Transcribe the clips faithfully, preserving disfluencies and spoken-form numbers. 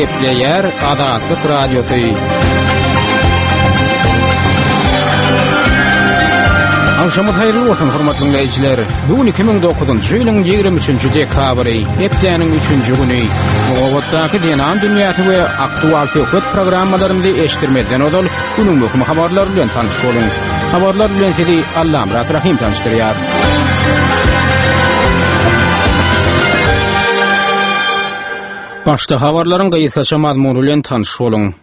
Gepleýär Azatlyk Radiosy. Agşamyz haýyrly bolsun, hormatly dinleýjiler. Bu gün iki müň dokuzynjy ýylyň ýigrimi üçünji dekabry, hepdäniň üçünji güni. Nobatdaky Zenan dünýäsi we Aktual söhbet programmalarymyzy eşitdirmezden ozal, günüň möhüm habarlary bilen tanyş boluň. Habarlar bilen sizi Allamyrat Rahym tanyşdyrýar. Başda habarlaryň gysgaça mazmuny bilen tanyş boluň.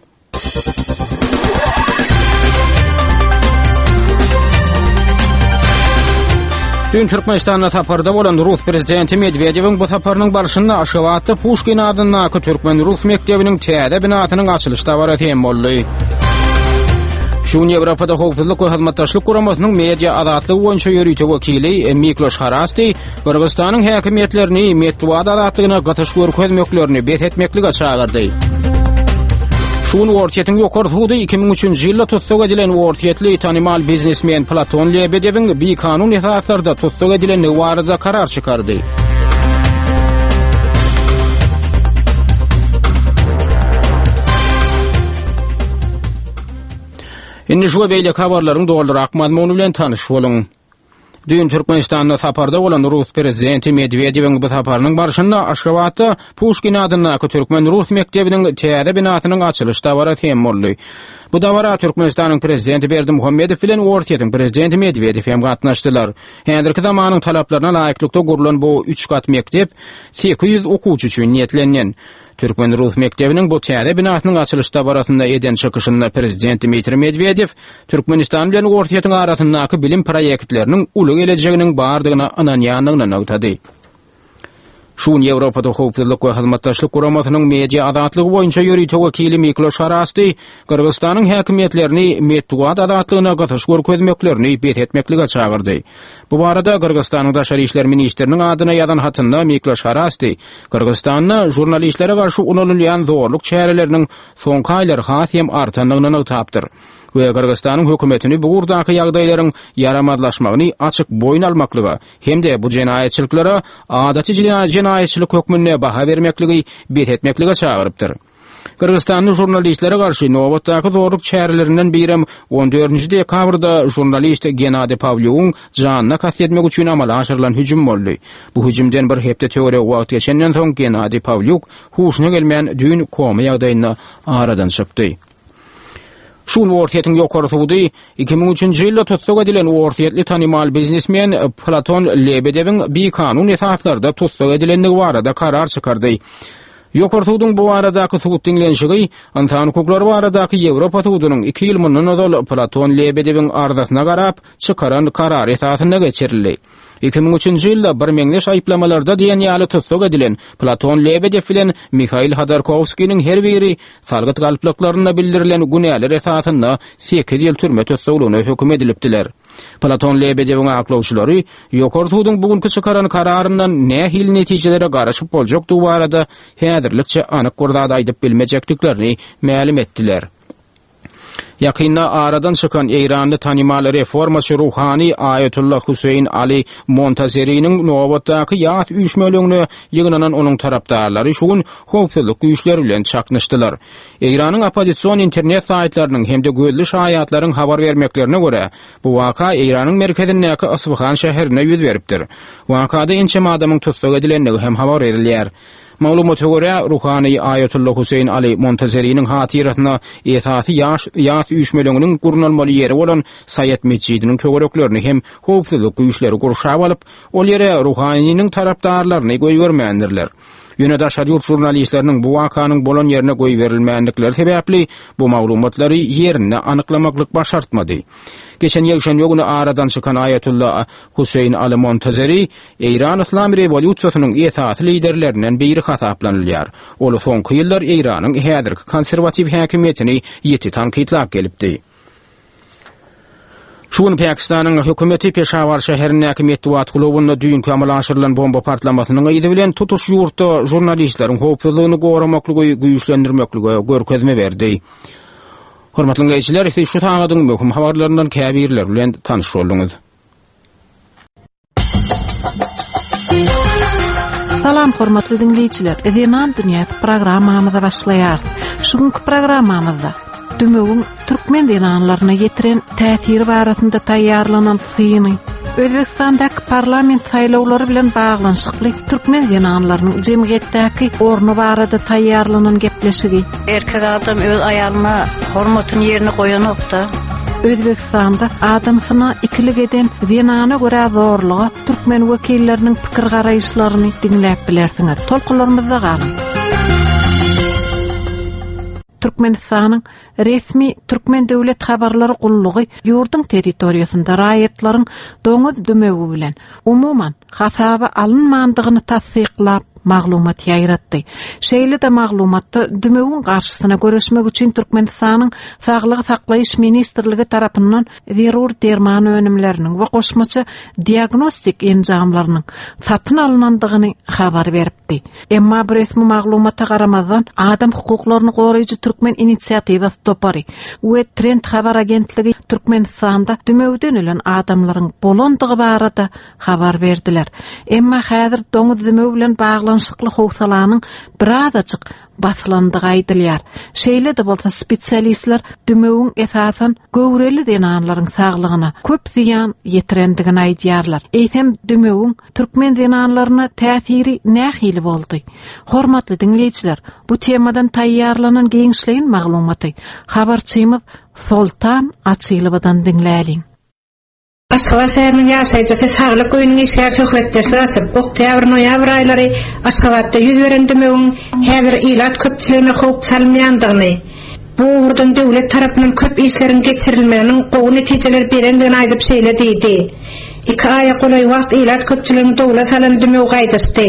Dün Türkmenistanda saparda bolan Rus prezidenti Medwedewiň bu saparynyň barşynda Aşgabatda Puşkin adyndaky türkmen-rus mekdebiniň täze binasynyň açylyş dabarasy hem boldy. Şu gün Ýewropada Howpsuzlyk we Hyzmatdaşlyk Guramasynyň media azatlygy boýunça ýörite wekili Mikloş Harasti Gyrgyzystanyň häkimiýetlerini metbugat azatlygyna gysyş görkezmeklerini bes etmeklige çagyrdy. Şu gün Orsýetiň ýokary sudy iki müň üçünji ýylda tussag edilen orsýetli tanymal biznesmen Platon Lebedewiň bikanun esaslarda tussag edilendigi barada karar çykardy. Indi şu we beýleki habarlaryň dolurak mazmuny bilen tanyş boluň. Düýn Türkmenistanda saparda bolan rus prezidenti Medwedewiň bu saparynyň barşynda Aşgabatda Puşkin adyndaky türkmen-rus mekdebiniň täze binasynyň açylyş dabarasy hem boldy. Bu dabara Türkmenistanyň prezidenti Berdimuhamedow bilen Orsýetiň prezidenti Medwedew hem gatnaşdylar. Häzirki zamanyň talaplaryna laýyklykda gurlan bu üç gat mekdep sekiz ýüz okuwçy üçin niýetlenilen. Türkmen-rus mekdebiniň bu täze binasynyň açylyş dabarasynda eden çykyşynda prezident Dmitriý Medwedew Türkmenistan bilen Orsýetiň arasyndaky bilim proýektleriniň uly gelejeginiň bardygyna ynanýandygyny nygtady. Şu gün Ýewropada Howpsuzlyk we Hyzmatdaşlyk Guramasynyň media azatlygy boýunça ýörite wekili Mikloş Harasti Gyrgyzystanyň häkimiýetlerini metbugat azatlygyna gysyş görkezmeklerini bes etmeklige çagyrdy. Bu barada Gyrgyzystanyň daşary işler ministriniň adyna ýazan hatynda Mikloş Harasti Gyrgyzystanda žurnalistlere garşy ulanylýan zorluk çäreleriniň soňky aýlar has hem artandygyny nygtapdyr we Gyrgyzystanyň hökümetini bu ugurdaky ýagdaýlaryň ýaramazlaşmagyny açyk boýun almaklyga hem-de bu jenaýatçylyklara adaty jenaýatçylyk hökmünde baha bermekligi bes etmeklige çagyrypdyr. Gyrgyzystanly žurnalistlere garşy nobatdaky zorluk çärelerinden birem on dördünji dekabrda žurnalist Gennadiý Pawlýugyň janyna kast etmek üçin amala aşyrylan hüjüm boldy. Bu hüjümden bir hepde töweregi wagt geçenden soň Gennadiý Pawlýuk huşuna gelmän düýn koma ýagdaýynda aradan çykdy. Şu gün Orsýetiň ýokary sudy iki müň üçünji ýylda tussag edilen orsýetli tanymal biznesmen Platon Lebedewiň bikanun esaslarda tussag edilendigi barada karar çykardy. Ýokary suduň bu baradaky sud diňlenişigi Ynsan hukuklary baradaky Ýewropa sudunyň iki ýyl mundan ozal Platon Lebedewiň arzasyna garap çykaran karary esasynda geçirildi. Iki müň üçünji ýylda birmeňzeş aýyplamalarda diýen ýaly tussag edilen Platon Lebedew bilen Mihail Hodorkowskiniň her biri salgyt galplyklarynda bildirilen günäler esasynda sekiz ýyl türme tussaglygyna höküm edilipdiler. Platon Lebedewiň aklawçylary Ýokary suduň bu günki çykaran kararyndan nähili netijelere garaşyp boljakdygy barada häzirlikçe anyk bir zat aýdyp bilmejekdiklerini mälim etdiler. Ýakynda aradan çykan Eýranly tanymal reformaçy ruhany Aýatullah Hüseýin Ali Montazeriniň nobatdaky ýas üýşmeleňine ýygnanan onuň tarapdarlary şu gün howpsuzlyk güýçleri bilen çaknyşdylar. Eýranyň oppozision internet saýtlarynyň hem-de gözli şaýatlaryň habar bermeklerine görä, bu waka Eýranyň merkezindäki Isfahan şäherinde ýüz beripdir. Wakada ençeme adamyň tussag edilendigi hem habar berilýär. Maglumata görä, ruhany Aýatullah Hüseýin Ali Montazeriniň hatyrasyna esasy ýaş ýas üýşmeleňiniň gurnalmaly ýeri bolan Saýat metjidiniň töwereklerini hem howpsuzlyk güýçleri gurşap alyp, ol ýere ruhanynyň tarapdarlaryny goýbermändirler. Ýöne daşary ýurt žurnalistleriniň bu wakanyň bolan ýerine goýberilmändikleri sebäpli bu maglumatlary ýerinde anyklamaklyk başartmady. Geçen ýekşenbe güni aradan çykan Aýatullah Hüseýin Ali Montazeri Eýran Yslam rewolýusiýasynyň esasy liderlerinden biri hasaplanylýar. Ol soňky ýyllar Eýranyň häzirki konserwatiw häkimiýetini ýiti tankytlap gelipdi. Şu gün Pakistanyň hökümeti Peşawar şäherindäki metbugat klubunda düýnki amala aşyrylan bomba partlamasynyň yzy bilen tutuş ýurtda žurnalistleriň howpsuzlygyny goramaklygy güýçlendirmeklige görkezme berdi. Hormatly dinleýjiler, siz şu sagadyň möhüm habarlaryndan käbirleri bilen tanyş bolduňyz. Salam Salam hormatly dinleýjiler. Zenan dünýäsi programmamyza başlaýar. Şu günkü programmamyzda Dümewin türkmen zenanlaryna ýetiren täsiri barasynda taýýarlanan syny, Özbegistandaky parlament saýlawlary bilen baglanyşykly türkmen zenanlarynyň jemgyýetdäki orny barada taýýarlanan gepleşigi, Erkek adam öz aýalyna hormatyny ýerine goýanokda. Özbegistanda adamsyna ikilik eden zenana görä zorluga türkmen wekilleriniň pikir garaýyşlaryny diňläp bilersiňiz. Tolkunlarymyzda galyň. Türkmenistanyň resmi Türkmen Döwlet Habarlary Gullugy ýurduň territoriýasynda raýatlaryň doňuz dümewi bilen umuman hasaba alynmandygyny tassyklap maglumat ýaýratdy. Şeýle-de maglumatda dümewiň garşysyna görüşmek üçin Türkmenistanyň Saglygy saklaýyş ministrligi tarapyndan zerur derman önümleriniň we goşmaça diagnostik enjamlarynyň satyn alynandygyny habar beripdi. Emma bu resmi maglumata garamazdan adam hukuklaryny goraýjy Türkmen inisiatiwasy topary we Trend habar agentligi Türkmenistanda dümewden ölen adamlaryň bolandygy barada habar berdiler. Emma häzir doňuz dümewi bilen baglanyşykly howsalanyň birazajyk basylandygy aýdylýar. Şeýle-de bolsa spesialistler dümewiň esasan göwreli zenanlaryň saglygyna köp zyýan ýetirendigini aýdýarlar. Eýsem dümewiň türkmen zenanlaryna täsiri nähili boldy? Hormatly diňleýjiler, bu temadan taýýarlanan giňişleýin maglumaty habarçymyz Soltan Açylowadan diňläliň. Aşgabat şäheriniň ýaşaýjysy saglyk öýüniň işgär söhbetdeşlik açyp, oktýabr-noýabr aýlary Aşgabatda ýüz beren dümewiň häzir ilat köpçüligine howp salmaýandygyny, bu ugurdan döwlet tarapyndan köp işleriň geçirilmeginiň gowy netijeler berendigini aýdyp şeýle diýdi. Iki aýa golaý wagt ilat köpçüliginiň dowla salan dümew gaýdyşdy.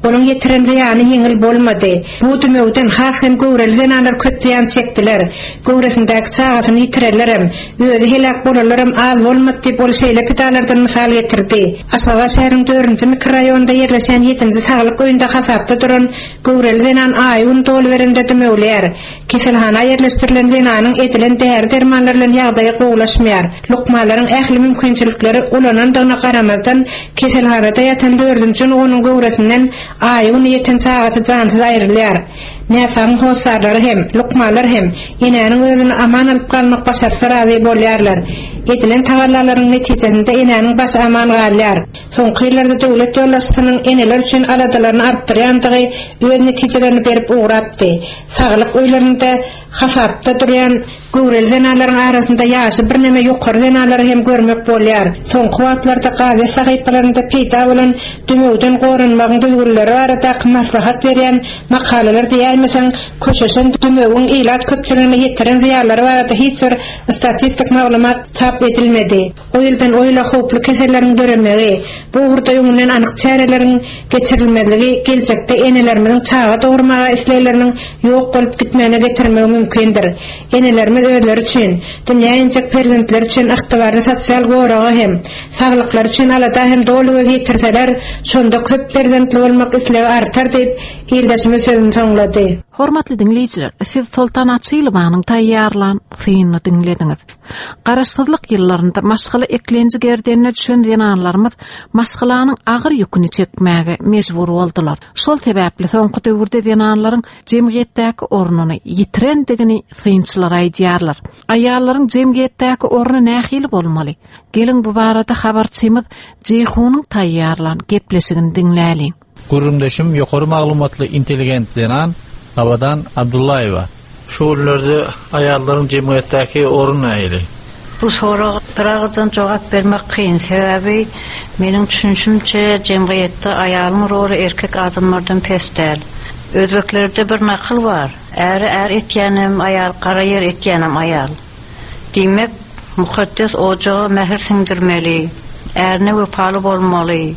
Onuň ýetiren zyýany ýeňil bolmady. Bu dümewden has hem göwreli zenanlar köp zyýan çekdiler. Göwresindäki çagasyny ýitirenlerem, özi helak bolanlaram az bolmady diýip ol şeýle pidalardan mysal getirdi. Aşgabat şäheriniň dördünji mikroraýonda ýerleşen ýedinji saglyk öýünde hasapda duran göwreli zenan aýy gün doly berende dümewlär. Keselhana ýerleşdirilen zenanyň edilen däri dermanlar bilen ýagdaýy gowulaşmaýar. Lukmanlaryň ähli mümkinçilikleri ulanandygyna garamazdan keselhanada ýatan dördünji onuň göwresinden aýy güni ýeten çagasy jansyz aýrylýar. Näsagyň hossarlary hem, lukmanlar hem enäniň özüni aman alyp galmak başarsa razy bolýarlar. Edilen tagallalaryň netijesinde enäniň başy aman galýar. Soňky ýyllarda döwlet ýolbaşçysynyň eneler üçin aladalaryny artdyrýandygy öz netijelerini berip ugrapdy. Saglyk öýlerinde hasapda durýan göwreli zenanlaryň arasynda ýaşy birneme ýokary zenanlary hem görmek bolýar. Soňky wagtlarda gazet sahypalarynda peýda bolan dümewden goranmagyň düzgünleri baradaky maslahat berýän makalalar diýäýmeseň, köşeşen dümewiň ilat köpçüligine ýetiren zyýanlary barada hiç bir statistik maglumat çap edilmedi. O ýyldan o ýyla howply keselleriň döremegi, bu ugurda öňünden anyk çäreleriň geçirilmezligi geljekde enelerimiziň çaga dogurmaga islegleriniň ýok bolup gitmegine getirmegi mümkindir. Enelerimiz özleri üçin, dünýä injek perzentler üçin ygtybarly sosial goraga hem, saglyklary üçin alada hem doly göz ýetirseler, şonda köp perzentli bolmak islegi artar diýip, ildeşimiz sözüni soňlady. Hormatly diňleýjiler, siz Soltan Açylowanyň taýýarlan synyny diňlediňiz. Garaşsyzlyk ýyllarynda maşgala eklenji gerdenine düşen zenanlarymyz maşgalanyň agyr ýüküni çekmäge mejbur boldular. Şol sebäpli soňky döwürde zenanlaryň jemgyýetdäki ornuny ýitirendigini synçylar aýdýarlar. Aýallaryň jemgyýetdäki orny nähili bolmaly? Geliň bu barada habarçymyz Jeýhunyň taýýarlan gepleşigini diňläliň. Gürrüňdeşim ýokary maglumatly intelligent zenan Abadan Abdullaýewa. Şu günlerde aýallaryň jemgyýetdäki orny nähili? Bu soraga bir jogap bermek kyn. Sebäbi meniň düşünşimçe jemgyýetde aýalyň roly erkek adamlardan pes däl. Özbeklerde bir nakyl bar. Äri är etýänem aýal, gara ýer etýänem aýal. Diýmek, mukaddes ojaga mähir siňdirmeli, ärine wepaly bolmaly,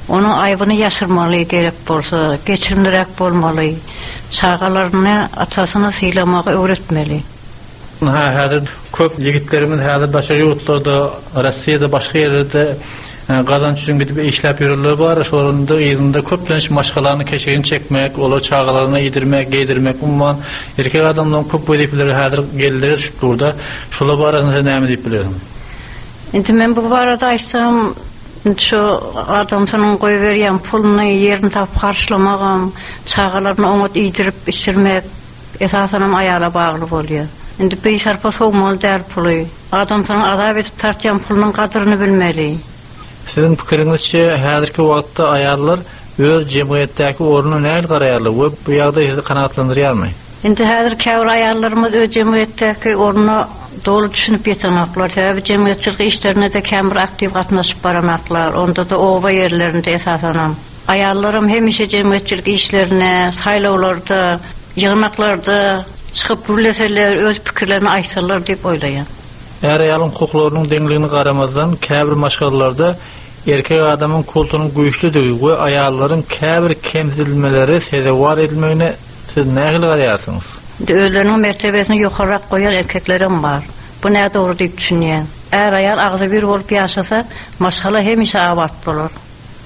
onuň aýbyny ýaşyrmaly gerek bolsa, geçirimliräk bolmaly, çagalaryny atasyny sylamagy öwretmeli. Ha, häzir köp ýigitlerimiz häzir başga ýurtlarda, Rossiýada başga ýerlerde gazanç üçin gidip işläp ýörürler bar. Şolarynda yzynda köplenç maşgalany keşigini çekmek, olar çagalaryny iýdirmek, geýdirmek, umuman erkek adamlaryň köp wezipeleri häzir gelleri düşüp durda. Şolar barasynda näme diýip bilersiňiz? Indi men bu barada aýtsam, Şu adamsynyň goýberýän puluny ýerini tapyp harçlamagam, çagalaryny oňat iýdirip içirmek esasanam aýala bagly bolýar. Indi bir sarpa sowmaly däl puly. Adamsynyň azap edip tartýan pulunyň gadyryny bilmeli. Siziň pikiriňizçe häzirki wagtda aýallar öz jemgyýetdäki ornuny nähili garaýarlar we bu ýagdaý sizi kanagatlandyrýarmy? Indi häzir käbir aýallarymyz öz jemgyýetdäki ornuna doly düşünip ýetenoklar. Sebäbi jemgyýetçilik işlerine de käbir aktiw gatnaşyp baranaklar. Onda da oba ýerlerinde esasanam. Aýallaram hemişe jemgyýetçilik işlerine, saýlawlarda, ýygnaklarda çykyp gürleseler, öz pikirlerini aýtsalar diýip oýlaýan. Är aýalyň hukuklarynyň deňligini garamazdan käbir maşgalalarda erkek adamyň kultunyň güýçlüdigi we aýallaryň käbir kemsidilmeleri sezewar edilmegine siz nähili garaýarsyňyz? Özleriniň mertebesini ýokaryk goýan erkeklerem bar. Bu näme dogry diýip düşünýän. Är aýal agzy bir bolup ýaşasa, maşgala hemişe abat bolar.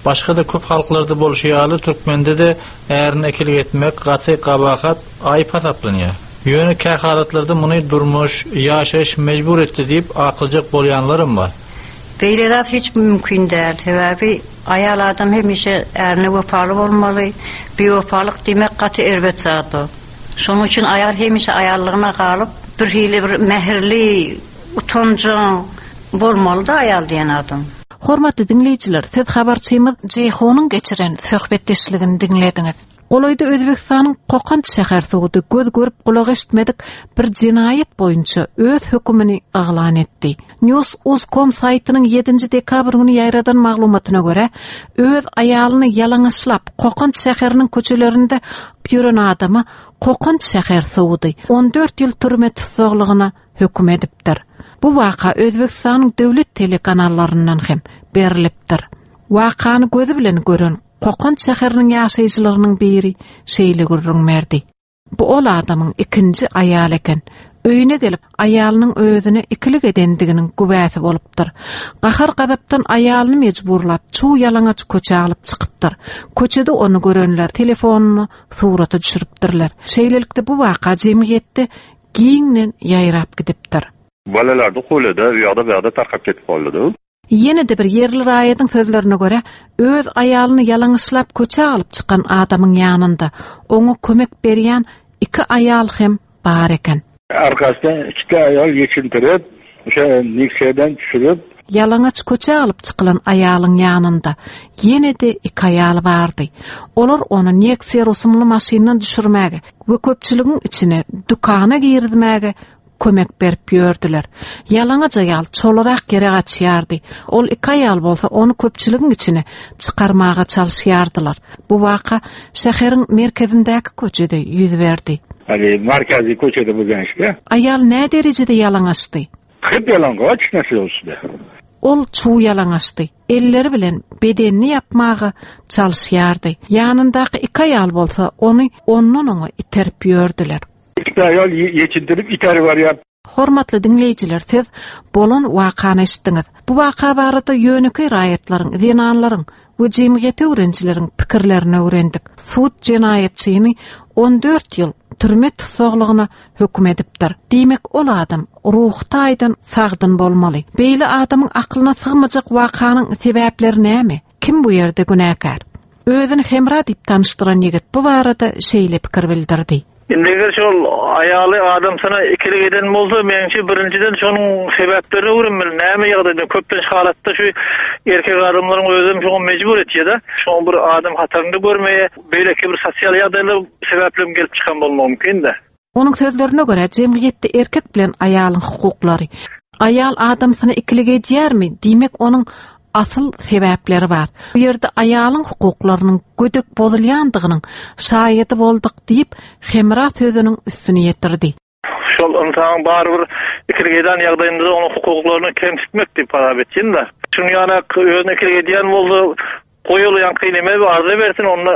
Başga da köp halklarda bolşy ýaly Türkmende de ärini ikilik etmek gaty gabahat aýyp hasaplanýar. Ýöne kähalatlarda muny durmuş, ýaşaýyş mejbur etdi diýip aklyjak bolýanlarym bar. Beýle zat hiç mümkin däl. Sebäbi aýal adam hemişe ärine wepaly bolmaly. Biwepalyk diýmek gaty erbet zat o. Şonuň üçin aýal hemişe aýallygyna galyp, bir hili bir mähirli, utanjaň bolmaly da aýal diýen adam. Hormatly dinleýjiler, siz habarçymyz Jeýhunyň geçiren söhbetdeşligini diňlediňiz. Golaýda Özbekistanyň Kokant şäher sudy göz görüp gulak eşitmedik bir jenaýat boýunça öz hökümini yglan etdi. News Uz.com saýtynyň ýedinji dekabr güni ýaýradan maglumatyna görä, öz aýalyny ýalaňaçlap Kokant şäheriniň köçelerinde ýören adama Kokant şäher sudy on dört ýyl türme tussaglygyna höküm edipdir. Bu waka Özbekistanyň döwlet telekanallaryndan hem berilipdir. Wakany gözi bilen gören Kokant şäheriniň ýaşaýjylarynyň biri şeýle gürrüň berdi. Bu ol adamyň ikinji aýaly eken. Öýüne gelip aýalynyň özüne ikilik edendiginiň güwäsi bolupdyr. Gahar gazapdan aýalyny mejburlap çuw ýalaňaç köçä alyp çykypdyr. Köçede ony görenler telefonyny surata düşüripdirler. Şeýlelikde bu waka jemgyýetde giňden ýaýrap gidipdir. Balalarda qo'lida, u yoqda bu yoqda tarqab ketib qoldi. Ýene de bir ýerli raýatyň sözlerine görä, öz aýalyny ýalaňaçlap köçä alyp çykan adamyň ýanynda oňa kömek berýän iki aýal hem bar eken. Arkasından iki ayal geçindirip, o'sha Nexia'dan tushirib, Ýalaňaç köçä alyp çykylan aýalyň ýanynda ýene de iki aýal bardy. Olar ony Nexia rusumly maşyndan düşürmäge we köpçüligiň içine dükana girizmäge kömek berip ýördüler. Ýalaňaç aýal çolarak ýere gaçýardy. Ol iki aýal bolsa ony köpçüligiň içine çykarmaga çalyşýardylar. Bu waka şäheriň merkezindäki köçede ýüz berdi. Hali markaziy ko'chada bo'lgan ishda. Aýal nä derejede ýalaňaçdy? Hep yalang'och narsa ustida. Ol çuw ýalaňaçdy. Elleri bilen bedenini ýapmaga çalyşýardy. Ýanyndaky iki aýal bolsa ony ondan oňa iterip ýördüler. Ikkita ayol yechintirib itarib boryapti. Hormatly dinleýjiler, siz bolan wakany eşitdiňiz. Bu waka barada ýönekeý raýatlaryň, zenanlaryň we jemgyýet öwrenijileriň pikirlerini öwrendik. Sud jenaýatçyny on dört ýyl türme tussaglygyna höküm edipdir. Diýmek, ol adam ruh taýdan sagdyn bolmaly. Beýle adamyň aklyna sygmajak wakanyň sebäpleri näme? Kim bu ýerde günäkär? Özüni Hemra diýip tanyşdyran ýigit bu barada şeýle pikir bildirdi. Indi eger şol aýaly adamsyna ikilik eden bolsa, meňçe birinjiden şonuň sebäplerini öwrenmeli. Näme ýagdaýda köplenç halatda şu erkek adamlaryň özem şoňa mejbur etýär-de. Şoň bir adam hatarynda görmeye, beýleki bir sosial ýagdaýlar sebäpli gelip çykan bolmagy mümkin-de. Onuň sözlerine görä, jemgyýetde erkek bilen aýalyň hukuklary. Aýal adamsyna ikilik edýärmi? Diýmek, onuň asyl sebäpleri bar. Bu ýerde aýalyň hukuklarynyň gödek bozulýandygynyň şaýady bolduk diýip, Hemra sözüniň üstüni ýetirdi. Şol ynsan barybir ikilik eden ýagdaýynda onuň hukuklaryny kemsitmek diýip hasap etýän-de. Şunuň ýaly özüne ikilik edýän bolsa, goýulýan kyneme bir arza bersin, onda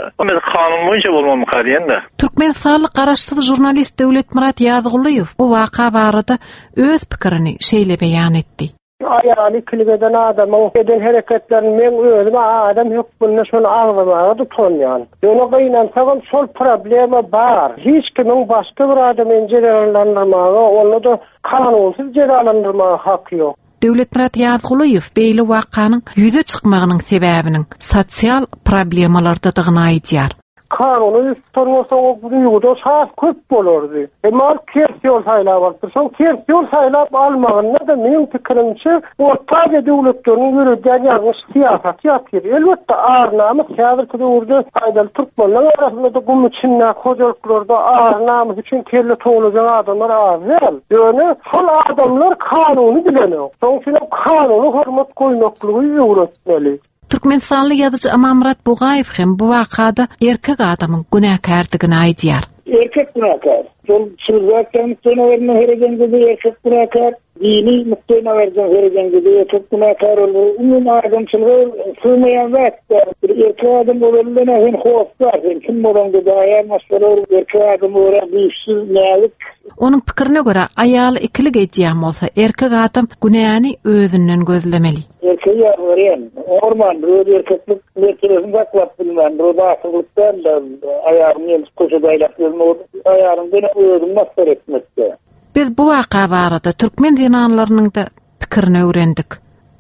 kanun boýunça bolmamyka diýen-de. Türkmenistanly garaşsyz žurnalist Döwletmyrat Ýazgulyýew bu waka barada öz pikirini şeýle beýan etdi. Aýaly ikilik eden adamyň eden hereketlerini men özüme adam hökmünde şony agzamaga tutunýan. Ýöne gynansagam şol problema bar. Hiç kimiň başga bir adamy jezalandyrmaga, onda da kanunsyz jezalandyrmaga haky ýok. Döwletmyrat Ýazgulyýew beýle wakanyň ýüze çykmagynyň sebäbiniň sosial problemalardadygyny aýdýar. Kanuny tutan bolsa o duýguda has köp bolardy. Emma ol ters ýol saýlap alypdyr. Şol ters ýol saýlap almagynda da meň pikirimçe Orta Aziýa döwletleriniň ýöredýän ýalňyş syýasaty ýatyr. Elbetde ar-namys häzirki döwürde aýdaly türkmenler arasynda da gum içinde hojalyklarda ar-namys üçin kelle towlajak adamlar az däl. Ýöne şol adamlar kanuny bilenok. Şonuň üçin kanuny hormat goýmaklygy öwretmeli. Türkmenistanly ýazyjy Amanmyrat Bugaýew hem bu wakada erkek adamyň günäkärdigini aýdýar. Erkek günäkär. Şol çylgakdan nukdaýnazaryndan heredende erkek günäkär, dini nukdaýnazardan heredende erkek günäkär olur. Umuman adamçylyga sığmaýan zat. Bir erkek adam bolanda sen hossar, sen kim bolanda da aýal maşgala erkek adam ora güýçsüz, näzik. Onuň pikirine görä aýaly ikilik edýän bolsa erkek adam günäni özünden gözlemeli. Erkek ýarlaýan, orman öz erkeklik mertebesini saklap bilmän, bir batyrlykdan da aýagyny elip köşede aýlap ýörmek, aýagyny özüň masgara etmekde. Biz bu waka barada türkmen zenanlarynyň da pikirini öwrendik.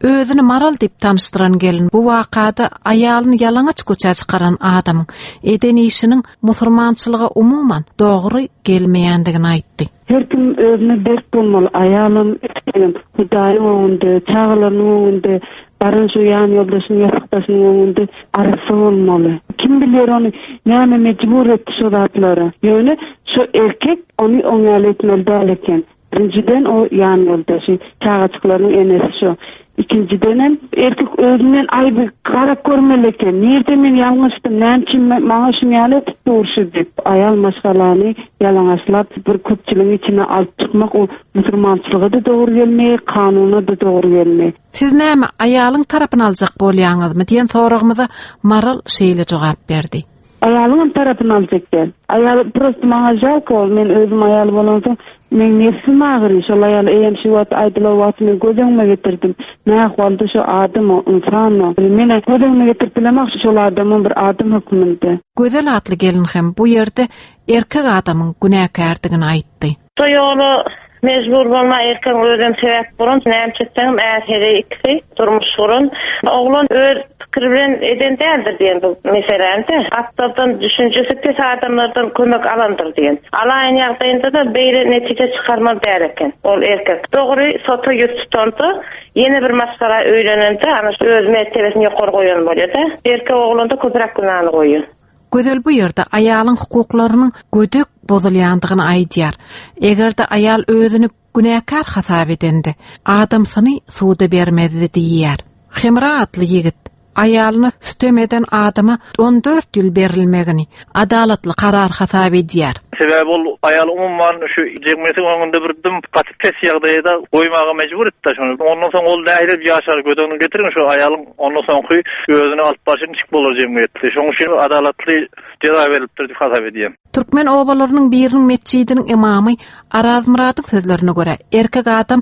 Özüni Maral diýip tanyşdyran gelin bu wakada aýalyny ýalaňaç köçä çykaran adamyň eden işiniň musulmançylyga umuman dogry gelmeýändigini aýtdy. Her kim özüne berk bolmaly, aýalym, erkegim, Hudaýyň öňünde, çagalarynyň öňünde, baran şu ýan ýoldaşynyň, ýasykdaşynyň öňünde arassa bolmaly. Kim bilýär ony, näme mejbur etdi şu zatlara. Ýöne şu erkek ony oňaly etmeli däl eken. Birinciden o ýan ýoldaşy, çagaçyklarynyň enesi şu. Ikinciden hem erkek özünden aýby garap görmeli eken. Nirde men ýalňyşdym, näme üçin maňa şuny ýaly etip durşy diýip, aýal maşgalany ýalaňaçlap bir köpçüligiň içine alyp çykmak o musulmançylyga da dogry gelmeýär, kanuna da dogry gelmeýär. Siz näme aýalyň tarapyny aljak bolýaňyzmy diýen soragymyza Maral şeýle jogap berdi. Aýalyň tarapyny aljak däl. Aýal prosto maňa žalko, men özüm aýal bolansoň men nefsim agyry, şol aýal eýem şu wagt aýdylan wagt men göz öňüme getirdim. Ne ahwalda şu adam o, insan o. Men göz öňüme getirip bilemok şol adamyň bir adam hökmünde. Gözel atly gelin hem bu ýerde erkek adamyň günäkärdigini aýtdy. Şu ýola mejbur bolma erkek özüm sebäp bolan, näme çekseňem är ikisi durmuş guran. Oglan öz pikir bilen eden däldir diýen bu meseläni. Atlardan düşünjesi pes adamlardan kömek alandyr diýen. Alaýyn ýagdaýynda da beýle netije çykarmaly däl eken. Ol erkek dogry sota ýüz tutanda ýene bir maşgala öýlenende ana şu öz mertebesini ýokary goýan bolýar da. Erkek oglanda köpräk günäni goýýar. Gözel bu ýerde aýalyň hukuklarynyň gödek bozulýandygyny aýdýar. Eger-de aýal özüni günäkär hasap edende, adamsyny suda bermezdi diýýär. Hemra atly ýigit aýalyny sütem eden adama on dört ýyl berilmegini adalatly karar hasap edýär. Sebäbi ol aýal umuman şu jemgyýetiň öňünde bir dim gaty pes ýagdaýda goýmaga mejbur etdi şony. Ondan soň ol nähili ýaşar göz öňüne getiriň şu aýalyň ondan soňky özüni alyp barşy niçik bolar jemgyýetde. Şonuň üçin adalatly jeza berilipdir diýip hasap edýän. Türkmen obalarynyň biriniň metjidiniň imamy Arazmyradyň sözlerine görä, erkek adam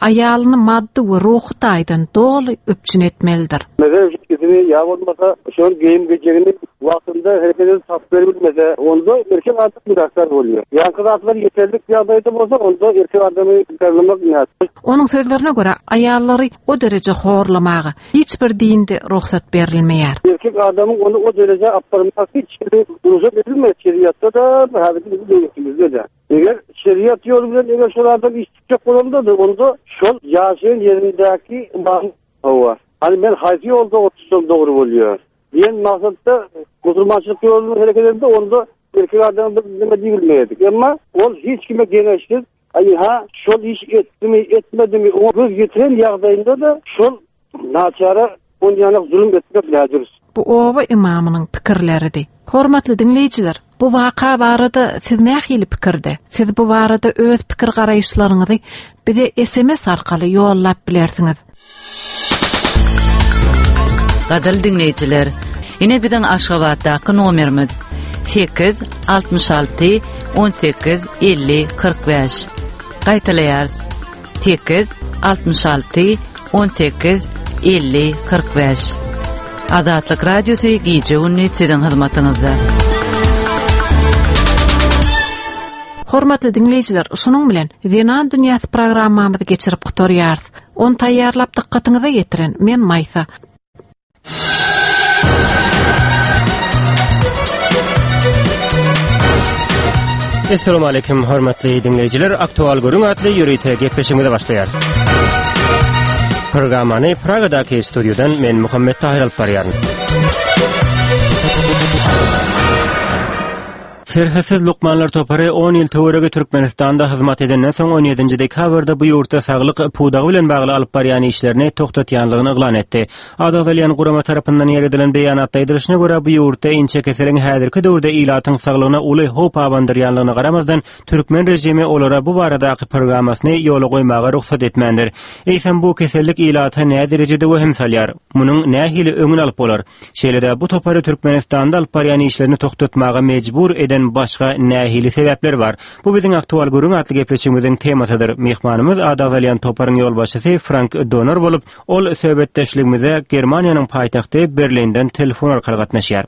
aýalyny maddy we ruhy taýdan doly üpjün etmelidir. Mesela gidimi ýa bolmasa şol geýim gejegini wagtynda hereket edip tapyp bermese, onda erkek adam günäkär bolýar. Ýaňky zatlar ýeterlik ýagdaýda bolsa, onda erkek adamy günäkärlemek nätdi? Onuň sözlerine görä, aýallary o dereje horlamaga hiç bir dinde ruhsat berilmeýär. Erkek adamyň ony o dereje apparmak hiç bir ruhsat edilmeýär şeriatda da, häzirki bizim döwletimizde de. Eger şeriat ýoly bilen eger şol adam iş tutjak bolanda da, onda şol ýaşaýan ýerindäki imam hawa. Hani men haýsy ýolda otursam dogry bolýar. Diýen maksatda musulmançylyk ýoluny hereket edende onda erkek adamyň bir nime diýilmeýärdi. Emma ol hiç kime geňeşsiz, aý ha şol iş etdimi, etmedimi, o göz getiren ýagdaýynda da şol naçara on ýanak zulum etmek nädür. Bu oba imamynyň pikirleridi. Hormatly diňleýjiler, bu waka barada siz nähili pikirde? Siz bu barada öz pikir garaýyşlaryňyzy bize S M S arkaly ýollap bilersiňiz. Gadyrly diňleýjiler, ine biziň Aşgabatdaky nomerimiz sekiz altmyş alty on sekiz elli kyrk bäş. Gaýtalaýarys. Sekiz altmyş alty on sekiz elli kyrk bäş. Azatlyk Radiosy gije gündüz siziň hyzmatyňyzda. Hormatly diňleýjiler, şunuň bilen Zenan dünýäsi programmamyzy geçirip gutarýarys. Ony taýýarlap dykgatyňyza ýetiren men Maýsa. Esselamu aleýkum hormatly diňleýjiler. Aktual Gürrüň atly ýörite gepleşigimize başlaýarys. Programmany Pragadaky studiýadan men Muhammet Tahir alyp barýaryn. Serhetsiz lukmanlar topary on ýyl töweregi Türkmenistanda hyzmat edenden soň on ýedinji dekabrda bu ýurtda saglyk pudagy bilen bagly alyp barýan işlerini togtatýanlygyny yglan etdi. Ady agzalýan gurama tarapyndan ýeredilen beýanatda aýdylyşyna görä, bu ýurtda inçekeseliň häzirki döwürde ilatyň saglygyna uly howp abandyrýanlygyna garamazdan, türkmen režimi olara bu baradaky programmasyny ýola goýmaga rugsat etmändir. Eýsem bu kesellik ilata nä derejede wehim salýar? Munuň nähili öňüni alyp bolar? Şeýle-de bu topary Türkmenistanda alyp barýan işlerini togtatmaga mejbur eden başga nähili sebäpler bar? Bu biziň Aktual Gürrüň atly gepleşigimiziň temasydyr. Myhmanymyz ady agzalýan toparyň ýolbaşçysy Frank Donor bolup, ol söhbetdeşligimize Germaniýanyň paýtagty Berlinden telefon arkaly gatnaşýar.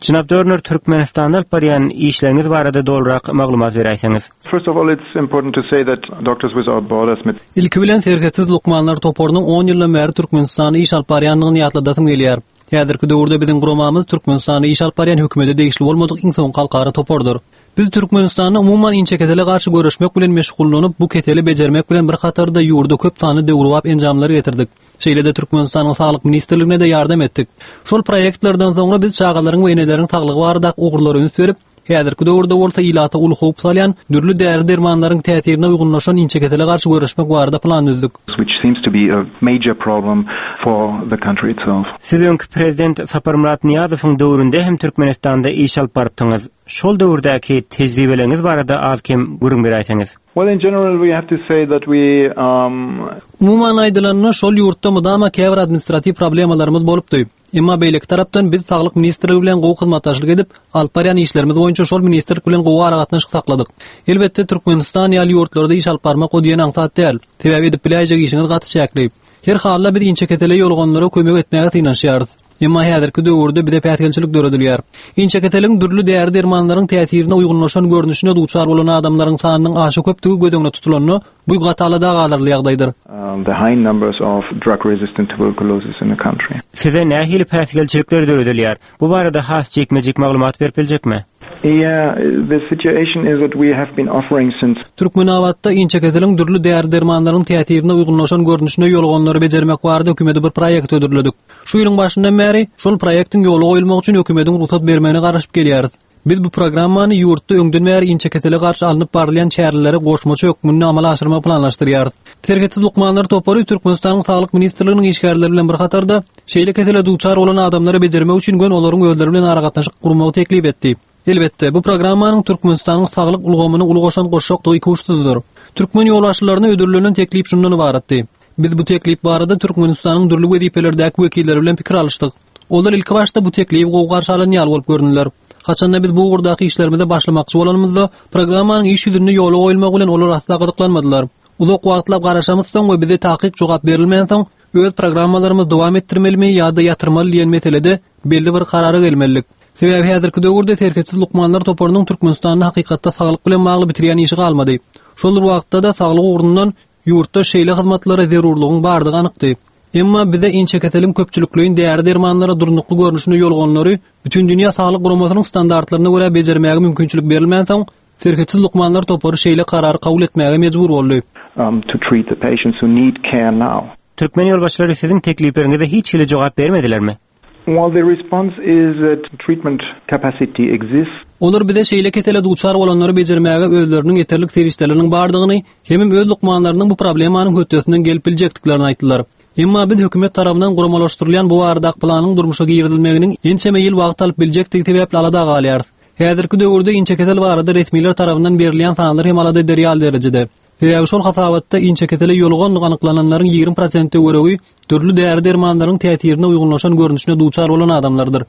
Jenap Dörner, Türkmenistanda alyp barýan işleriňiz barada dolurak maglumat beräýseňiz. First of all, it's important to say that Doctors Without Borders mit Ilki bilen Serhetsiz lukmanlar toparynyň on ýyldan bäri Türkmenistanda iş alyp barýandygyny ýatladasym gelýär. Häzirki döwürde biziň guramamyz Türkmenistanda iş alyp barýan hökümete degişli bolmadyk iň soňky halkara topardyr. Biz Türkmenistanda umuman inçekesele garşy göreşmek bilen meşgullanyp, bu keseli bejermek bilen bir hatarda ýurda köp sanly döwrebap enjamlary getirdik. Şeýle-de Türkmenistanyň Saglyk ministrligine de ýardam etdik. Şol proýektlerden soňra biz çagalaryň we eneleriň saglygy baradaky ugurlara üns berip, häzirki döwürde bolsa ilata uly howp salýan dürli däri-dermanlaryň täsirine uýgunlaşan inçekesele garşy göreşmek barada plan düzdük. Which seems to be a major problem for the country itself. Siz öňki prezident Saparmyrat Nyýazowyň döwründe hem Türkmenistanda iş alyp barypdyňyz. Şol döwürdäki tejribeleriňiz barada az-kem gürrüň beräýseňiz. Well, in general we have to say that we, um, Umuman aýdylanda, şol ýurtda mydama käbir administratiw problemalarymyz bolupdy. Emma beýleki tarapdan biz Saglyk ministrligi bilen gowy hyzmatdaşlyk edip, alyp barýan işlerimiz boýunça şol ministrlik bilen gowy aragatnaşyk sakladyk. Elbetde, Türkmenistan ýaly ýurtlarda iş alyp barmak o diýen aňsat däl. Sebäbi edip biläýjek işiňiz gaty çäkli. Her halda biz inçekesele ýolganlara kömek etmäge synanyşýarys. Emma häzirki döwürde bize päsgelçilik döredilýär. Inçekeseliň dürli däri-dermanlaryň täsirine uýgunlaşan görnüşine duçar bolan adamlaryň sanynyň aşa köpdügi göz öňüne tutulanda, bu gaty alada galarly ýagdaýdyr. Um, the high numbers of drug resistant tuberculosis in the country. Size nähili päsgelçilikler döredilýär? Bu barada has jikme-jik maglumat berip biljekmi? Yeah, the situation is that we have been offering since Türkmenabatda inçekeseliň dürli däri-dermanlaryň täsirine uýgunlaşan görnüşine ýolganlary bejermek barada hökümete bir proýekt hödürledik. Şu ýylyň başyndan bäri şol proýektiň ýola goýulmagy üçin hökümetiň rugsat bermegine garaşyp gelýäris. Biz bu programmany ýurtda öňden bäri inçekesele garşy alnyp barylýan çäreleri goşmaça hökmünde amala aşyrmagy planlaşdyrýarys. Serhetsiz lukmanlar topary Türkmenistanyň Saglyk ministrliginiň işgärleri bilen bir hatarda şeýle kesele duçar bolan adamlary bejermek üçin gön olaryň özleri bilen aragatnaşyk gurmagy teklip etdi. Elbetde, bu programmanyň Türkmenistanyň saglyk ulgamyna uly goşant goşjakdygy ikuçsuzdyr. Türkmen ýolbaşçylaryna ödüllenen teklip şundan ybaratdy. Biz bu teklip barada Türkmenistanyň dürli wezipelerdäki wekilleri bilen pikir alyşdyk. Olar ilki başda bu teklibi gowy garşy alan ýaly bolup göründüler. Haçanda biz bu ugurdaky işlerimize başlamakçy bolanymyzda, programmanyň iş ýüzünde ýola goýulmagy bilen olar asla gyzyklanmadylar. Uzak wagtlap garaşamyzsoň we bize takyk jogap berilmänsoň, öz programmalarymyzy dowam etdirmelimi ýa-da ýatyrmaly diýen meselede belli bir karara gelmelidik. Sebäbi häzirki döwürde Serhetsiz lukmanlar toparynyň Türkmenistanda hakykatda saglyk bilen bagly bitirýän işi galmady. Şol bir wagtda-da saglyk ugrundan ýurtda şeýle hyzmatlara zerurlygyň bardygy anykdy. Emma bize inçekeseliň köpçülikleýin däri-dermanlara durnukly görnüşine ýolganlary Bütün Dünýä Saglyk Guramasynyň standartlaryna görä bejermäge mümkinçilik berilmänsoň, Serhetsiz lukmanlar topary şeýle karary kabul etmäge mejbur boldy. Um, to treat the patients who need care now. Türkmen ýolbaşçylary siziň teklipleriňize hiç hili jogap bermedilermi? Well, the response is that treatment capacity exists. Olar bize şeýle kesele duçar bolanlary bejermäge özleriniň ýeterlik serişdeleriniň bardygyny, hemem öz lukmanlarynyň bu problemanyň hötdesinden gelip biljekdiklerini aýtdylar. Emma biz hökümet tarapyndan guramalaşdyrylýan bu baradaky planyň durmuşa girizilmeginiň ençeme ýyl wagt alyp biljekdigi sebäpli alada galýarys. Häzirki döwürde inçekesel barada resmiler tarapyndan berilýän sanlar hem alada eder ýaly derejede. Sebäbi şol hasabatda inçekesele ýolganlyk anyklananlaryň ýigrimi prosent töweregi dürli däri-dermanlaryň täsirine uýgunlaşan görnüşine duçar bolan adamlardyr.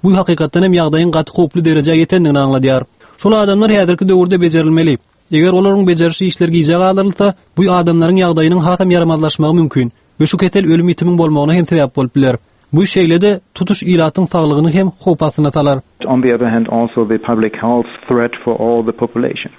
Bu hakykatdan hem ýagdaýyň gaty howply derejä ýetendigini aňladýar. Şol adamlar häzirki döwürde bejerilmeli. Eger olaryň bejeriş işleri gijä galdyrylsa, bu adamlaryň ýagdaýynyň hasam ýaramazlaşmagy mümkin we şu kesel ölüm ýitimiň bolmagyna hem sebäp bolup biler. Bu şeýle-de tutuş ilatyň saglygyny hem howp astyna salar. on the other hand also the public health threat for all the population.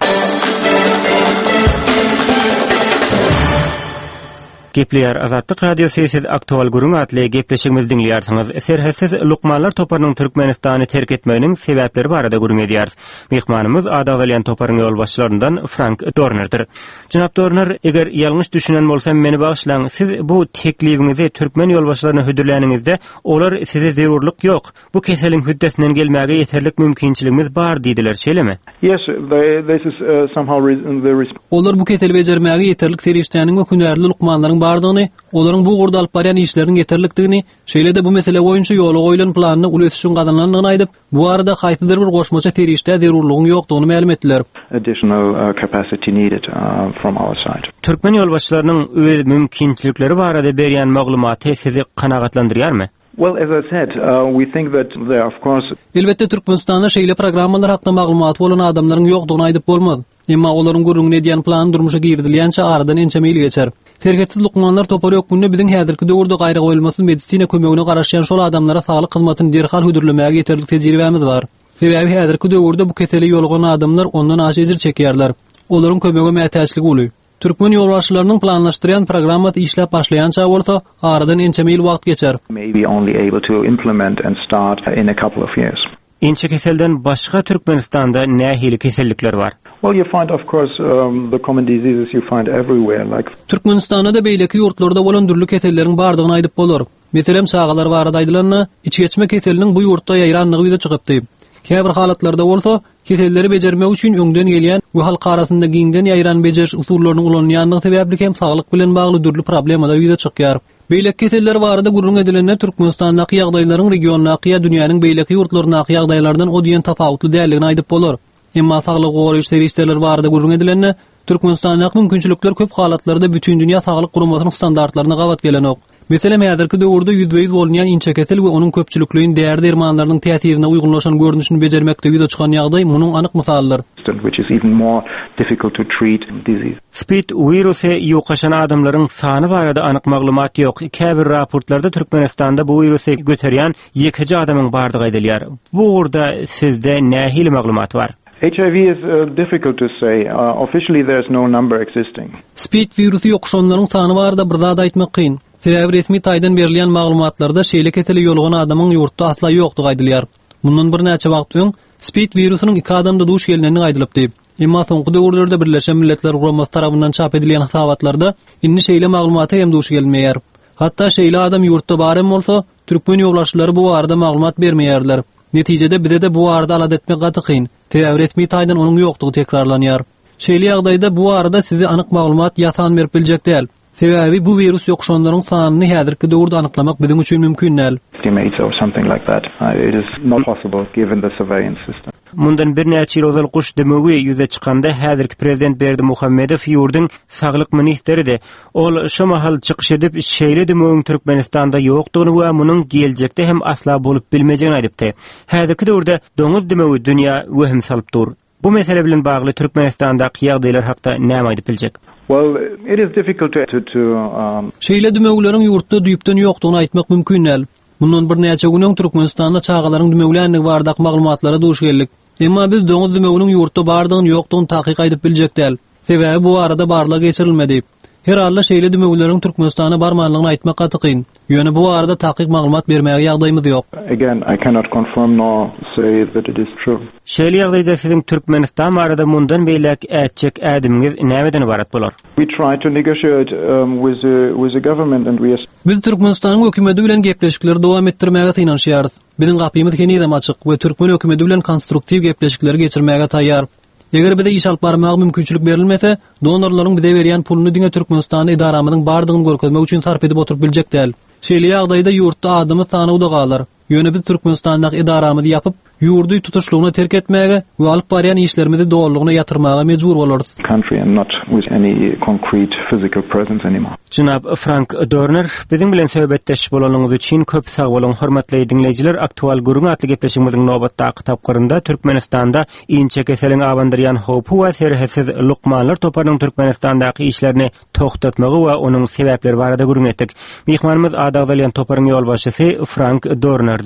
Gepleýär Azatlyk Radiosy siz aktual gürrüň atly gepleşigimizi diňleýärsiňiz. Serhetsiz lukmanlar toparynyň Türkmenistany terk etmeginiň sebäpleri barada gürrüň edýäris. Myhmanymyz ady agzalýan toparyň ýolbaşçylaryndan Frank Dornerdir. Jenap Dorner, eger ýalňyş düşünen bolsam meni bagyşlaň, siz bu teklibiňizi türkmen ýolbaşçylaryna hödürläniňizde olar size zerurlyk ýok. Bu keseliň hüddesinden gelmäge ýeterlik mümkinçiligimiz bar diýdiler, şeýlemi? Yes, they, this is uh, somehow the Olar bu keseli bejermäge ýeterlik serişdäniň we hünärli lukmanlaryň bardygyny, olaryň bu ugurda alyp barýan işleriniň ýeterlikdigini, şeýle-de bu mesele boýunça ýola goýlan planyna uly ösüşiň gazanylandygyny aýdyp, bu arada haýsydyr bir goşmaça serişdä zerurlygyň ýokdugyny mälim etdiler. Additional uh, capacity needed uh, from our side. Türkmen ýolbaşçylarynyň öz mümkinçilikleri barada berýän maglumaty sizi kanagatlandyrýarmy? Well, as I said, uh, we think that there of course Elbetde Türkmenistanda şeýle programmalar hakda maglumat bolan adamlaryň ýokdugyny aýdyp bolmaz. Emma olaryň gürrüňini edýän plan durmuşa girizilýänçä aradan ençeme ýyl geçer. Serhetsiz lukmanlar topary hökmünde biziň häzirki döwürde gaýragoýulmasyz medisina kömegine garaşýan şol adamlara saglyk hyzmatyny derhal hödürlemäge ýeterlik tejribämiz bar. Sebäbi häzirki döwürde bu kesele ýolugan adamlar ondan aşa ejir çekýärler. Olaryň kömege mätäçligi uly. Türkmen ýolbaşçylarynyň planlaşdyrýan programmasy işläp başlaýança bolsa aradan ençeme ýyl wagt geçer. May be only able to implement and start in a couple of years. Inçe keselden başga Türkmenistanda nähili kesellikler bar? Well, you find of course um, the common diseases you find everywhere like Türkmenistanda da beýleki ýurtlarda bolan dürli keselleriň bardygyny aýdyp bolar. Meselem, çagalar barada aýdylanda, içgeçme keseliniň bu ýurtda ýaýranlygy ýüze çykypdy. Käbir halatlarda bolsa keselleri bejermek üçin öňden gelýän we halk arasynda giňden ýaýran bejeriş usullarynyň ulanylýandygy sebäpli hem saglyk bilen bagly dürli problemalar ýüze çykýar. Beýleki keseller barada gürrüň edilende Türkmenistandaky ýagdaýlaryň regiondaky ýa dünýäniň beýleki ýurtlaryndaky ýagdaýlardan o diýen tapawutly däldigini aýdyp bolar. Emma saglyk goraýyş serişdeleri barada gürrüň edilende Türkmenistandaky mümkinçilikler köp halatlarda bütün dünýä saglyk guramasynyň standartlaryna gabat gelenok. Meselem, häzirki döwürde ýüzbe-ýüz bolunýan inçe kesel we onuň köpçülikleýin däri dermanlarynyň täsirine uýgunlaşan görnüşini bejermekde ýüze çykan ýagdaý munuň anyk mysalydyr. which is even more difficult to treat disease. Spid wirusy ýokaşan adamlaryň sany barada anyk maglumat ýok. Käbir raportlarda Türkmenistanda bu wirusy göterýän ýekeje adamyň bardygy aýdylýar. Bu ugurda sizde nähili maglumat bar? H I V is uh, difficult to say. Uh, officially there's no number existing. Spid wirusy ýokuşanlaryň sany barada bir zat aýtmak kyn. Sebäbi resmi taýdan berilýän maglumatlarda şeýle kesele ýolugan adamyň ýurtda asla ýokdugy aýdylýar. Mundan birnäçe wagt öň Spid wirusynyň iki adamda duş gelinendigi aýdylypdy. Emma soňky döwürlerde Birleşen Milletler Guramasy tarapyndan çap edilýän hasabatlarda indi şeýle maglumata hem duş gelinmeýär. Hatda şeýle adam ýurtda bar hem bolsa, türkmen ýolbaşçylary bu barada maglumat bermeýärler. Netijede bize de bu barada alada etmek gaty kyn. Sebäbi resmi taýdan onuň ýokdugy tekrarlanýar. Şeýle ýagdaýda bu barada size anyk maglumat ýasan berip biljek däl. Sebäbi bu wirus ýokuşanlaryň sanyny häzirki döwürde anyklamak biziň üçin mümkin däl. Estimates or something like that. Uh, it is not possible given the surveillance system. Mundan birnäçe ýyl ozal guş dömegi ýüze çykanda häzirki prezident Berdimuhamedow ýurduň saglyk ministridi. Ol şu mahal çykyş edip şeýle dömegiň Türkmenistanda ýokdugyny we munuň geljekde hem asla bolup bilmejegini aýdypdy. Häzirki döwürde doňuz dömegi dünýä wehim salyp dur. Bu mesele bilen bagly Türkmenistandaky ýagdaýlar hakda näme aýdyp biljek? Well, it is difficult to, to, to um, Şeýle dümewleriň ýurtda düýpden ýokdugyny aýtmak mümkin däl. Mundan birnäçe gün öň Türkmenistanda çagalaryň dümewländigi baradaky maglumatlara duş geldik. Emma biz doňuz dümewiniň ýurtda bardygyny ýokdugyny takyk aýdyp biljek däl. Sebäbi bu arada barlag geçirilmedi. Her halda şeýle dümewleriň Türkmenistana barmanlygyny aýtmak gaty kyn. Ýöne bu arada takyk maglumat bermäge ýagdaýymyz ýok. Again, I cannot confirm nor say that it is true. Şeýle ýagdaýda siziň Türkmenistan barada mundan beýläk ätjek ädimiňiz nämeden ybarat bolar? We try to negotiate um, with the with the government and we are Biz Türkmenistanyň hökümeti bilen gepleşikleri dowam etdirmäge synanyşýarys. Biziň gapymyz henizem açyk we türkmen hökümeti bilen konstruktiw gepleşikleri geçirmäge taýýar. Eger bize iş alyp barmaga mümkinçilik berilmese, donorlaryň bize berýän puluny diňe Türkmenistanda edaramyzyň bardygyny görkezmek üçin sarp edip oturyp biljek däl. Şeýle ýagdaýda ýurtda adamyz sanawda galar. Ýöne biz Türkmenistandaky edaramyzy ýapyp, ýurdy tutuşlygyna terk etmäge we alyp barýan işlerimizi dolulygyna ýatyrmaga mejbur bolarys. Country and not with any concrete physical presence anymore. Jenap Frank Dörner, biziň bilen söhbetdeş bolanyňyz üçin köp sag boluň. Hormatly diňleýjiler, aktual gürrüň atly gepleşigimiziň nobatdaky tapgyrynda Türkmenistanda inçe keseliň abandyrýan howpy we serhetsiz lukmanlar toparynyň Türkmenistandaky işlerini tohtatmagy we onuň sebäpleri barada gürrüň etdik. Myhmanymyz ady agzalýan toparyň ýolbaşçysy Frank Dörnerdi.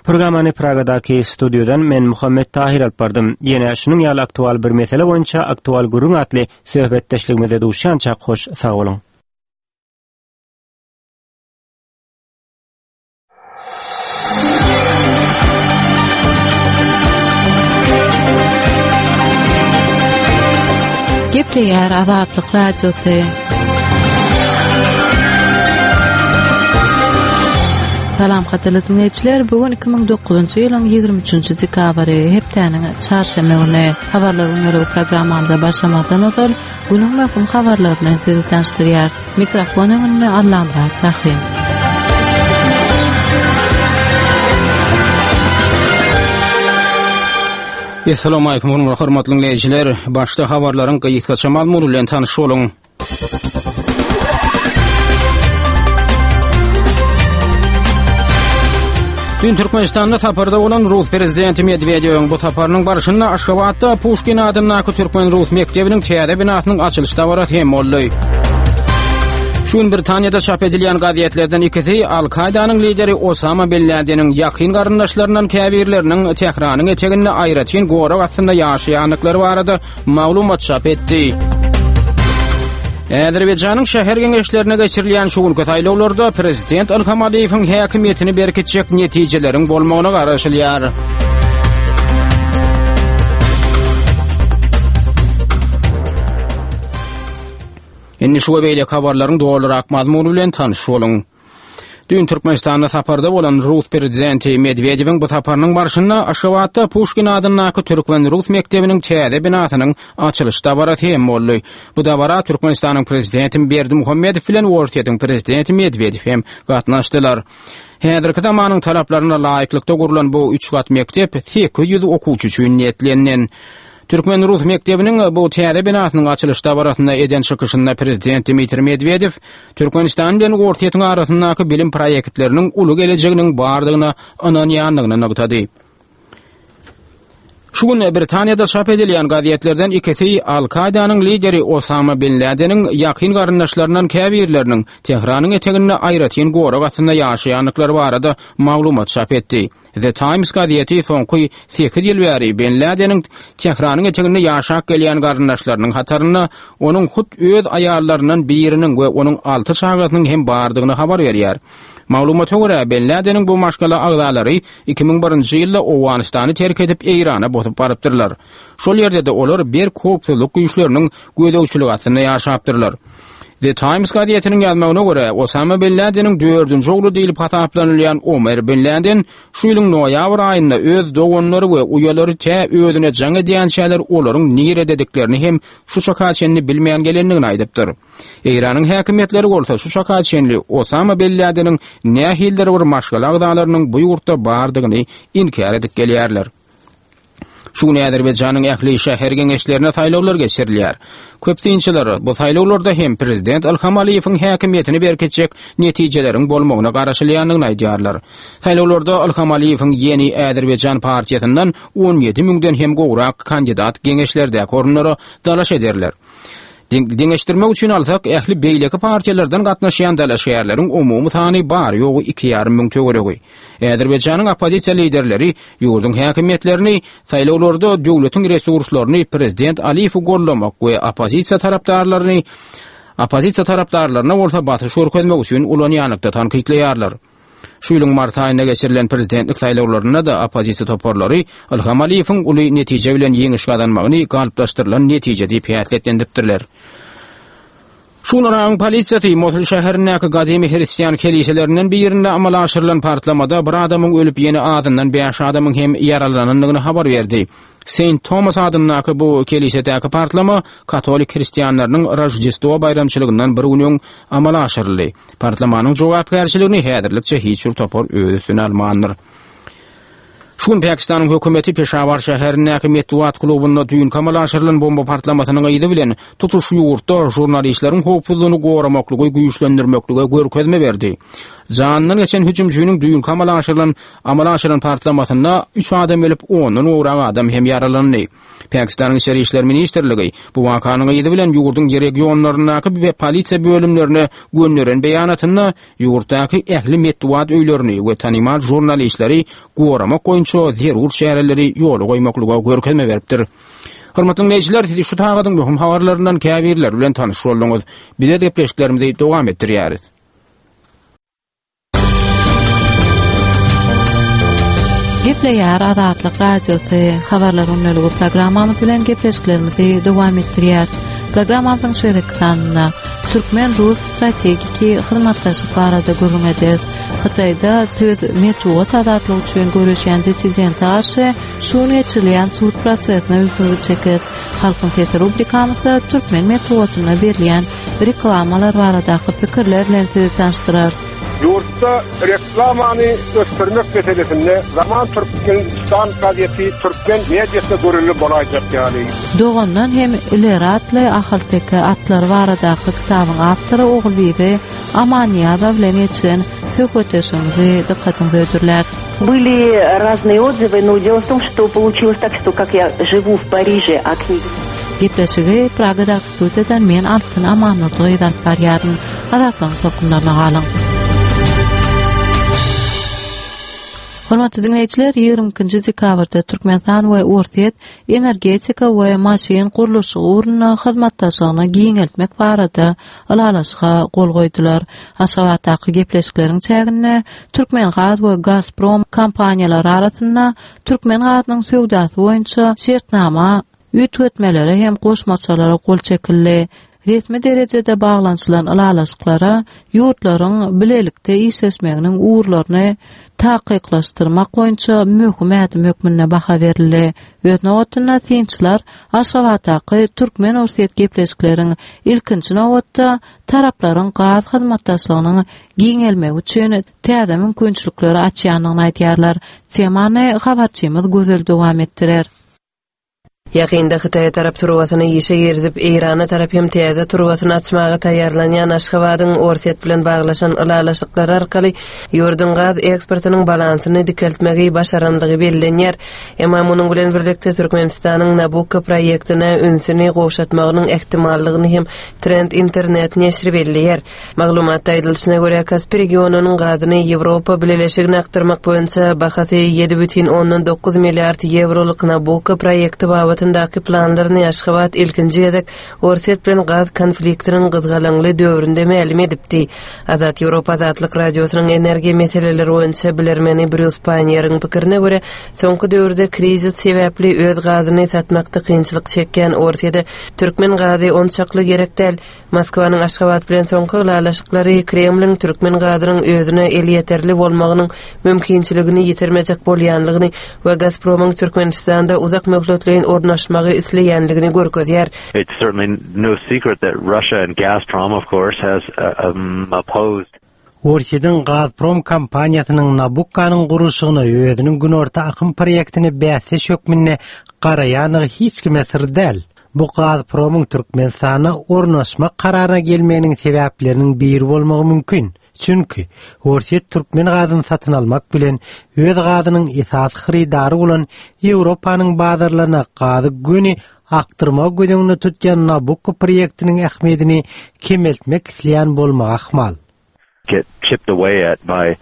Programmany Pragadaky studio Studiodan men Muhammet Tahir alyp bardym. Ýene şunuň ýaly aktual bir mesele boýunça aktual gürrüň atly söhbetdeşligimize duşýança hoş sag boluň. Gepleýär Azatlyk Radiosy. Salam gadyrly dinleýjiler, bu gün iki müň dokuzynjy ýylyň ýigrimi üçünji dekabry, hepdäniň çarşenbe güni. Habarlar günlügi programmamyza başlamazdan ozal günüň möhüm habarlaryny bilen sizi tanyşdyrýarys. Mikrofon öňünde Allamyrat Rahim. Assalamu alaykum hormatly dinleýjiler. Başda habarlaryň gysgaça mazmuny bilen tanyş boluň. Dün Türkmenistan'da saparda bolan Rus Prezidenti Medvedev'in bu saparynyň barşynda Aşgabatda Puşkin adyndaky Türkmen-Rus mekdebiniň täze binasynyň açylyş dabarasy hem boldy. Şu gün Britaniýada çap edilýän gazetlerden ikisi Al-Kaidanyň lideri Osama Bin Ladeniň ýakyn garyndaşlaryndan käbirleriniň Tähranyň eteginde aýratyn gorag astynda ýaşaýandyklary barada maglumat çap etdi. Azerbaýjanyň şäher geňeşlerine geçirilýän şu günki saýlawlarda Prezident Ilham Aliýewiň häkimiýetini berkitjek netijeleriň bolmagyna garaşylýar. Indi şu we beýleki habarlaryň dolurak mazmuny bilen tanyş boluň. Dün Türkmenistanda saparda bolan Rus Prezidenti Medvedev'in bu saparynyň barşynda Aşgabatda Puşkin adyndaky Türkmen-Rus mekdebiniň täze binasynyň açylyş dabarasy hem boldy. Bu dabara Türkmenistanyň Prezidenti Berdimuhamedow bilen Orsýetiň Prezidenti Medvedew hem gatnaşdylar. Häzirki zamanyň talaplaryna laýyklykda gurlan bu üç gat mekdep sekiz ýüz okuwçy üçin niýetlenilen. Türkmen-Rus mekdebiniň bu täze binasynyň açylyş dabarasynda eden çykyşynda Prezident Dmitriý Medvedew Türkmenistan bilen Orsýetiň arasyndaky bilim proýektleriniň uly gelejeginiň bardygyna ynanýandygyny nygtady. Şu gün Britaniýada çap edilýän gazetlerden ikisi Al-Kaidanyň lideri Osama Bin Ladeniň ýakyn garyndaşlaryndan käbirleriniň Tähranyň eteginde aýratyn gorag astynda ýaşaýandyklary barada maglumat çap etdi. The Times gazeti soňky sekiz ýyl bäri Bin Ladeniň Tähranyň eteginde ýaşap gelýän garyndaşlarynyň hatarynda onuň hut öz aýallaryndan biriniň we onuň alty çagasynyň hem bardygyny habar berýär. Maglumata görä, Bin Ladeniň bu maşgala agzalary iki müň birinji ýylda Owganystany terk edip Eýrana bosup barypdyrlar. Şol ýerde-de olar berk howpsuzlyk güýçleriniň gözegçiligi astynda ýaşapdyrlar. The Times gazetiniň ýazmagyna görä, Osama Bin Ladeniň dördünji ogly diýlip hasaplanylýan Omer Bin Laden şu ýylyň noýabr aýynda öz doganlary we uýalary tä özüne jaň edýänçäler olaryň niredediklerini hem şu çaka çenli bilmeýän gelendigini aýdypdyr. Eýranyň häkimiýetleri bolsa şu çaka çenli Osama Bin Ladeniň nähilidir bir maşgala agzalarynyň bu ýurtda bardygyny inkär edip gelýärler. Şu gün Azerbaýjanyň ähli şäher geňeşlerine saýlawlar geçirilýär. Köp synçylar bu saýlawlarda hem Prezident Ilham Aliýewiň häkimiýetini berkitjek netijeleriň bolmagyna garaşylýandygyny aýdýarlar. Saýlawlarda Ilham Aliýewiň Ýeni Azerbaýjan partiýasyndan on ýedi müňden hem gowrak kandidat geňeşlerdäki orunlara dalaş ederler. Deňeşdirmek üçin alsak, ähli beýleki partiýalardan gatnaşýan dalaşgärleriň umumy sany bar ýogy iki ýarym müň töweregi. Azerbaýjanyň oppozisiýa liderleri ýurduň häkimiýetlerini saýlawlarda döwletiň resurslaryny Prezident Aliýewi gollamak we oppozisiýa tarapdarlaryny oppozisiýa tarapdarlaryna bolsa basyş görkezmek üçin ulanýanlykda tankytlaýarlar. Şu ýylyň mart aýynda geçirilen prezidentlik saýlawlarynda da oppozisiýa toparlary Ilham Aliýewiň uly netije bilen ýeňiş gazanmagyny galyplaşdyrylan netije diýip häsiýetlendiripdirler. Şu gün Yragyň polisiýasy Mosul şäherindäki gadymy hristian keliselerinden birinde amala aşyrylan partlamada bir adamyň ölüp ýene azyndan bäş adamyň hem ýaralanandygyny habar berdi. Saint Thomas adyndaky bu kelisedäki partlama katolik hristianlarynyň Rojdestvo baýramçylygyndan bir gün öň amala aşyryldy. Partlamanyň jogapkärçiligini häzirlikçe hiç bir topar öz üstüne almandyr. Şu gün Pakistanyň hökümeti Peşawar şäherindäki metbugat klubunda düýn amala aşyrylan bomba partlamasynyň yzy bilen tutuş ýurtda žurnalistleriň howpsuzlygyny goramaklygy güýçlendirmeklige görkezme berdi. Janyndan geçen hüjümçiniň düýn amala aşyrylan amala aşyrylan partlamasynda üç adam ölüp ondan gowrak adam hem ýaralandy. Pakistanyň Içeri İşler Ministrligi bu wakanyň yzy bilen ýurduň regionlaryndaky we polisiýa bölümlerine gönderen beýanatynda ýurtdaky ähli metbugat öýlerini we tanymal žurnalistleri goramak boýunça boýunça zerur çäreleri ýola goýmaklyga görkezme beripdir. Hormatly dinleýjiler, sizi şu sagadyň möhüm habarlaryndan käbirleri bilen tanyş bolduňyz. Bize gepleşiklerimizi dowam etdirýäris. Gepleýär Azatlyk Radiosy habarlar gündeligi programmamyz bilen gepleşiklerimizi dowam etdirýäris. Programmamyzyň şeýle sanynda Türkmen-Rus strategiki hyzmatdaşlyk barada gürrüň ederis. Hytaýda söz metbugat azatlygy üçin göreşýän dissidente garşy şu gün geçirilýän sud prosesine ünsüňizi çekeris. Halkyň sesi rubrikamyzda türkmen metbugatynda berilýän reklamalar baradaky pikirler bilen sizi tanyşdyrarys. Ýurtda reklamany ösdürmek meselesinde Zaman Türkmenistan gazeti türkmen mediasyna görelde bolaýjak ýaly. Dogandan hem ileri atly Ahalteke atlary baradaky kitabyň awtory Ogulbibi Amannyýazowa bilen geçiren söhbetdeşligimizi dykgatyňyza hödürläris. Были разные отзывы, но дело в том, что получилось так, что как я живу в Париже, а книги... Gepleşigi Pragadaky studiýadan men Altyn Amannurdy alyp barýaryn. Azatlygyň tolkunlaryna galyň. Hormatly dinleýjiler, ýigrimi ikinji dekabrda Türkmenistan we Orsýet energetika we maşyn gurluşygy ugrunda hyzmatdaşlygyny giňeltmek barada ylalaşyga gol goýdular. Aşgabatdaky gepleşikleriň çäginde Türkmengaz we Gazprom kompaniýalary arasynda Türkmen gazynyň söwdasy boýunça şertnama üýtgetmelere hem goşmaçalara gol çekildi. Resmi derejede baglanyşylan ylalaşyklara ýurtlaryň bilelikde işleşmeginiň ugurlaryny takyklaşdyrmak boýunça möhüm ädim hökmünde baha berildi. Öz nobatynda synçylar Aşgabatdaky Türkmen-Orsýet gepleşikleriň ilkinji nobatda taraplaryň gaz hyzmatdaşlygynyň giňelmegi üçin täze mümkinçilikleri açýandygyny aýdýarlar. Temany habarçymyz Gözel dowam etdirer. Ýakynda Hytaýa tarap turbasyny işe girizip, Eýrana tarap hem täze turbasyny açmaga taýýarlanýan Aşgabadyň Orsýet bilen baglaşan ylalaşyklary arkaly ýurduň gaz eksportynyň balansyny dikeltmegi başarandygy bellenýär. Emma munuň bilen birlikde Türkmenistanyň Nabukko proýektine ünsüni gowşatmagynyň ähtimallygyny hem Trend internet neşiri belleýär. Maglumatda aýdylyşyna görä, Kaspi regionynyň gazyny Ýewropa Bileleşigine akdyrmak boýunça bahasy ýedi bütin ondan dokuz milliard ýewrolyk Nabukko proýekti babatyndaky planlaryny Aşgabat ilkinji gezek Orsýet bilen gaz konfliktiniň gyzgalaňly döwründe mälim edipdi. Azat Ýewropa Azatlyk Radiosynyň energiýa meseleleri boýunça bilermeni Brýus Panýeriň pikirine görä, soňky döwürde krizis sebäpli öz gazyny satmakda kynçylyk çekýän Orsýede türkmen gazy onçakly gerek däl. Moskwanyň Aşgabat bilen soňky ylalaşyklary Kremliň türkmen gazynyň özüne elýeterli bolmagynyň mümkinçiligini ýitirmejek bolýanlygyny we Gazpromyň Türkmenistanda uzak möhletleýin ornaşmagy isleýänligini görkezýär. It's certainly no secret that Russia and Gazprom, of course, has, uh, um, opposed Orsýetiň Gazprom kompaniýasynyň Nabukkanyň gurluşygyna özüniň günorta akym proýektine bäsdeş hökmünde garaýandygy hiç kime syr däl. Bu Gazpromyň Türkmenistana ornaşmak kararyna gelmeginiň sebäpleriniň biri bolmagy mümkin. Çünki Orsýet türkmen gazyny satyn almak bilen öz gazynyň esasy hyrydary bolan Ýewropanyň bazarlaryna gazy göni akdyrmagy göz öňünde tutýan Nabukko proýektiniň ähmiýetini kemeltmek isleýän bolmagy ahmal. Get chipped away at by